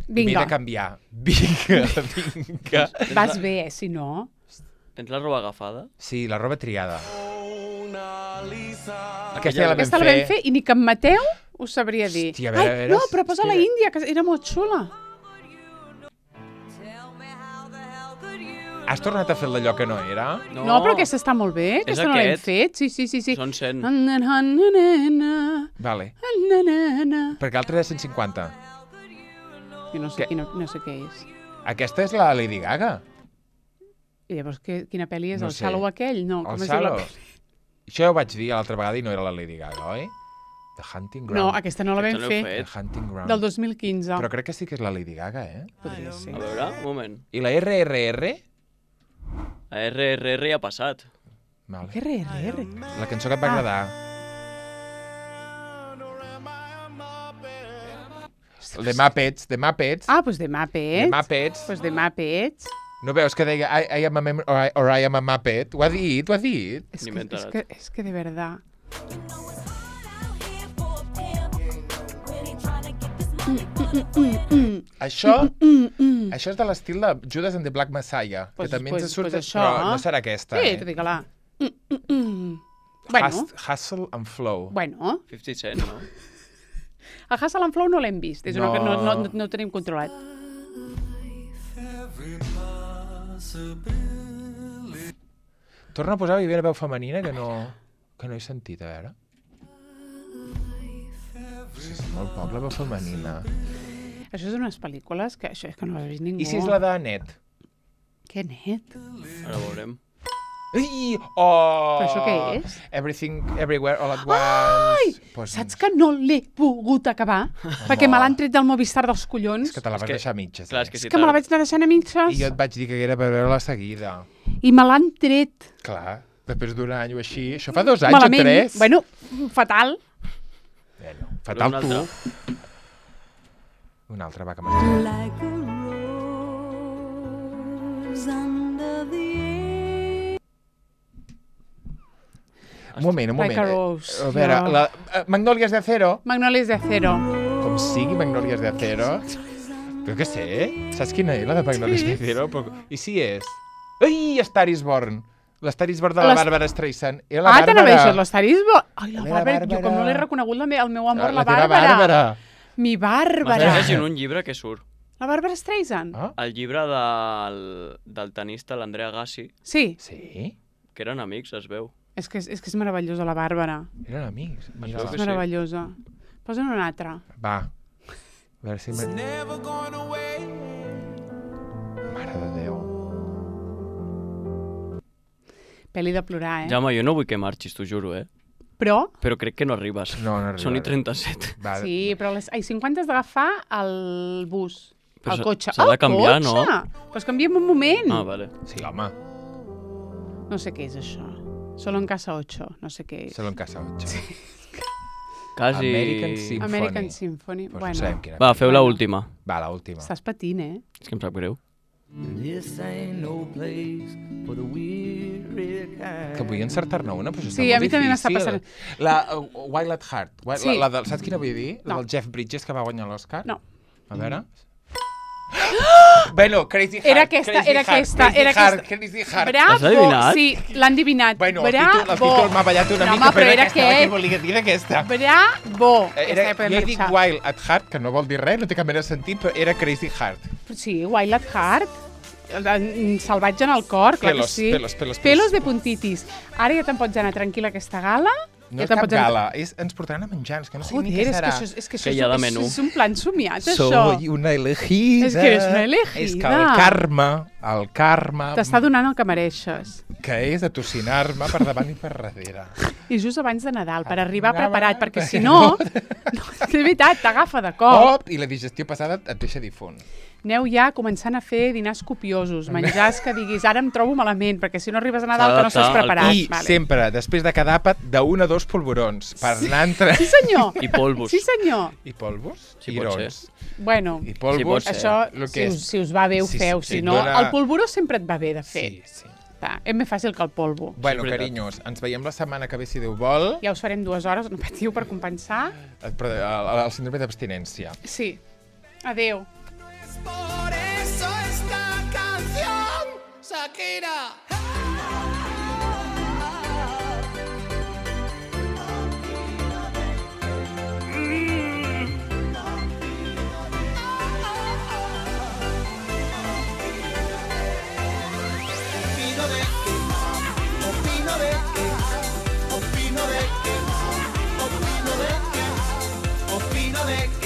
M'he Vinga, de canviar. Vinga, vinga. vas bé, eh, si no. Tens la roba agafada? Sí, la roba triada. Aquella- Aquesta ja la vam Aquesta la vam fer i ni que en Mateu ho sabria dir. Hòstia, a veure, a Ai, veure, no, però posa la espera. Índia, que era molt xula. Has tornat a fer el d'allò que no era? No, no però aquesta està molt bé. És Aquesta no l'hem aquest. fet. Sí, sí, sí. sí. Són cent. Vale. Jo Perquè l'altra és cent cinquanta. no sé, Què? quina, no sé què és. Aquesta és la Lady Gaga. I llavors, que, quina pel·li és? No el sé. Shallow aquell? No, com El es diu la Shallow. pel·li? Això ja ho vaig dir l'altra vegada i no era la Lady Gaga, oi? The Hunting Ground. No, aquesta no la vam Aquesta no heu fer. fet. The Hunting Ground. Del dos mil quinze. Però crec que sí que és la Lady Gaga, eh? Podria ser. A veure, un moment. I la R R R? A R R R ja ha passat. Vale. Que re, re, re. La cançó que et va Ah. agradar. The Muppets, The Muppets. Ah, doncs de The Muppets. Muppets. Doncs de Muppets. No veus que deia I, I am a mem or, I, or I am a Muppet? Ho ha dit, ho ha dit. És Ni que, m'he és, enterat. que, és que de verdad. Això, Mm, mm. això és de l'estil de Judas and the Black Messiah, Pues- que també pues- ens surt, pues això, però no eh? serà aquesta, Sí, eh? tu digue-la. Mm, mm, mm. Bueno, Hus- Hustle and Flow. bueno. cinquanta Cent, no? El Hustle and Flow no l'hem vist. És No. una que no, no, no, no ho tenim controlat. Torna a posar Vivint a veu femenina, que no, que no he sentit, a veure. Sí, és molt poc, la veu femenina. Això és unes pel·lícules que això és que no l'ha vist ningú. I si és la de Net? Què net? Ara veurem. Ai! Oh! Però això què és? Everything, Everywhere, All at Once. Ai! Pues, Saps que no l'he pogut acabar? Perquè me l'han tret del Movistar dels collons. És que te la vas que- deixar a mitges. Clar, eh? és que És si que me la tar- vaig anar deixant a mitges. I jo et vaig dir que era per veure-la seguida. I me l'han tret. Clar, després d'un any o així. Això fa dos anys Malament. o tres. Bueno, fatal. Bueno, fatal Un tu. altre. Un altre, va, que m'ha Like a rose under the Un moment, un moment. Like a Rose, A veure, jo. la, uh, Magnolias de Acero. Magnolias de Acero. Com sigui Magnolias de Acero. Però què sé, saps quina és la de Magnolias de Acero? Però... I si és? Ai, Star is Born. L'Star is Born de la Les- Bàrbara Streisand. Era la Ah, Bàrbara. t'anava a dir això, l'Estarisbo. Ai, la La Bàrbara, jo Bàrbara. com no l'he reconegut, la me, el meu amor, la, teva Bàrbara. Bàrbara. Mi Bàrbara. M'estàs llegint un llibre que surt. La Bàrbara Streisand? Ah, El llibre del, del tenista, l'Andrea Gassi, Sí, sí? que eren amics, es veu. és que és, és que és meravellosa la Bàrbara. Eren amics. Mira. veu És que sí. meravellosa. Posa'n una altra. Va. A veure si... Me... Never going away. Mare de Déu. Pel·li de plorar, eh? Jaume, jo no vull que marxis, t'ho juro, eh? Però, Però crec que no arribes. No, no arribaré. Són i trenta-set. Va, sí, però a les ai, cinquanta has d'agafar el bus, Però el s'ha- cotxe. s'ha de El canviar, no? cotxe! Però es canvia en un moment. Ah, vale. Sí, home. No sé què és això. Solo en casa ocho, no sé què és. Solo en casa ocho. Sí. Quasi... American Symphony. American Symphony. Pues bueno, no sabem quina. Va, feu Bueno. l'última. Va, l'última. estàs patint, eh? És que em sap greu. This ain't no place for the weary kind. Que vull encertar-ne una, però això Sí, està a mi molt també m'està difícil. La uh, Wild at Heart. Wild, Sí. la, la del, saps quina vull dir? La No. del Jeff Bridges, que va guanyar l'Oscar? No. A veure... Bueno, Crazy Heart. Era aquesta, Crazy era Heart, aquesta, Crazy era Heart, aquesta. Crazy Heart. Bravo! L'has adivinat? Sí, l'han adivinat. Bueno, el Bravo! títol, el títol m'ha ballat una no, mica, home, però era aquesta, què aquest. volia dir d'aquesta? Bravo! Era, Aquesta ja jo podem he dit marxar. Wild at Heart, que no vol dir res, no té cap mena de sentit, però era Crazy Heart. Sí, Wild at Heart. El- Salvatge en el cor, clar Pelos, que sí. pelos, pelos, pelos. Pelos de puntitis. Ara ja te'n pots anar tranquil·la a aquesta gala. No ja és te'n cap pots anar- gala, és, ens portaran a menjar, és que no sé Joder, ni què és que serà. això, és, és, que això Que hi ha de és, menú. és un plan somiat, això. Soy una elegida. És que eres una elegida. És que el karma, el karma, T'està donant el que mereixes. que és atocinar-me per davant i per darrere. I just abans de Nadal, per arribar Anava- preparat, perquè si no, no és veritat, t'agafa de cop. Oh, i la digestió passada et deixa difunt. Aneu ja començant a fer dinars copiosos, menjars que diguis, ara em trobo malament, perquè si no arribes a Nadal S'ha que no estàs d'adaptar al preparat. I sempre, després de cada àpat, d'un a dos polvorons, per anar entre... Sí, senyor. I polvos. Sí, senyor. I polvos? Sí, I pot irons. Bueno, I polvos, Sí, pot ser. això, lo si que us, és. si us va bé, ho Sí, feu. sí, Si sí, no, dona- el polvoró sempre et va bé de fer. Sí, sí. Està, és més fàcil que el polvo. Bueno, veritat. carinyos, ens veiem la setmana que ve, si Déu vol, Ja us farem dues hores, no patiu, per compensar. el, el, el síndrome d'abstinència. Sí. Adeu. Por eso esta canción, Shakira. Opino de que, opino de que, opino de que, opino de que, opino de que.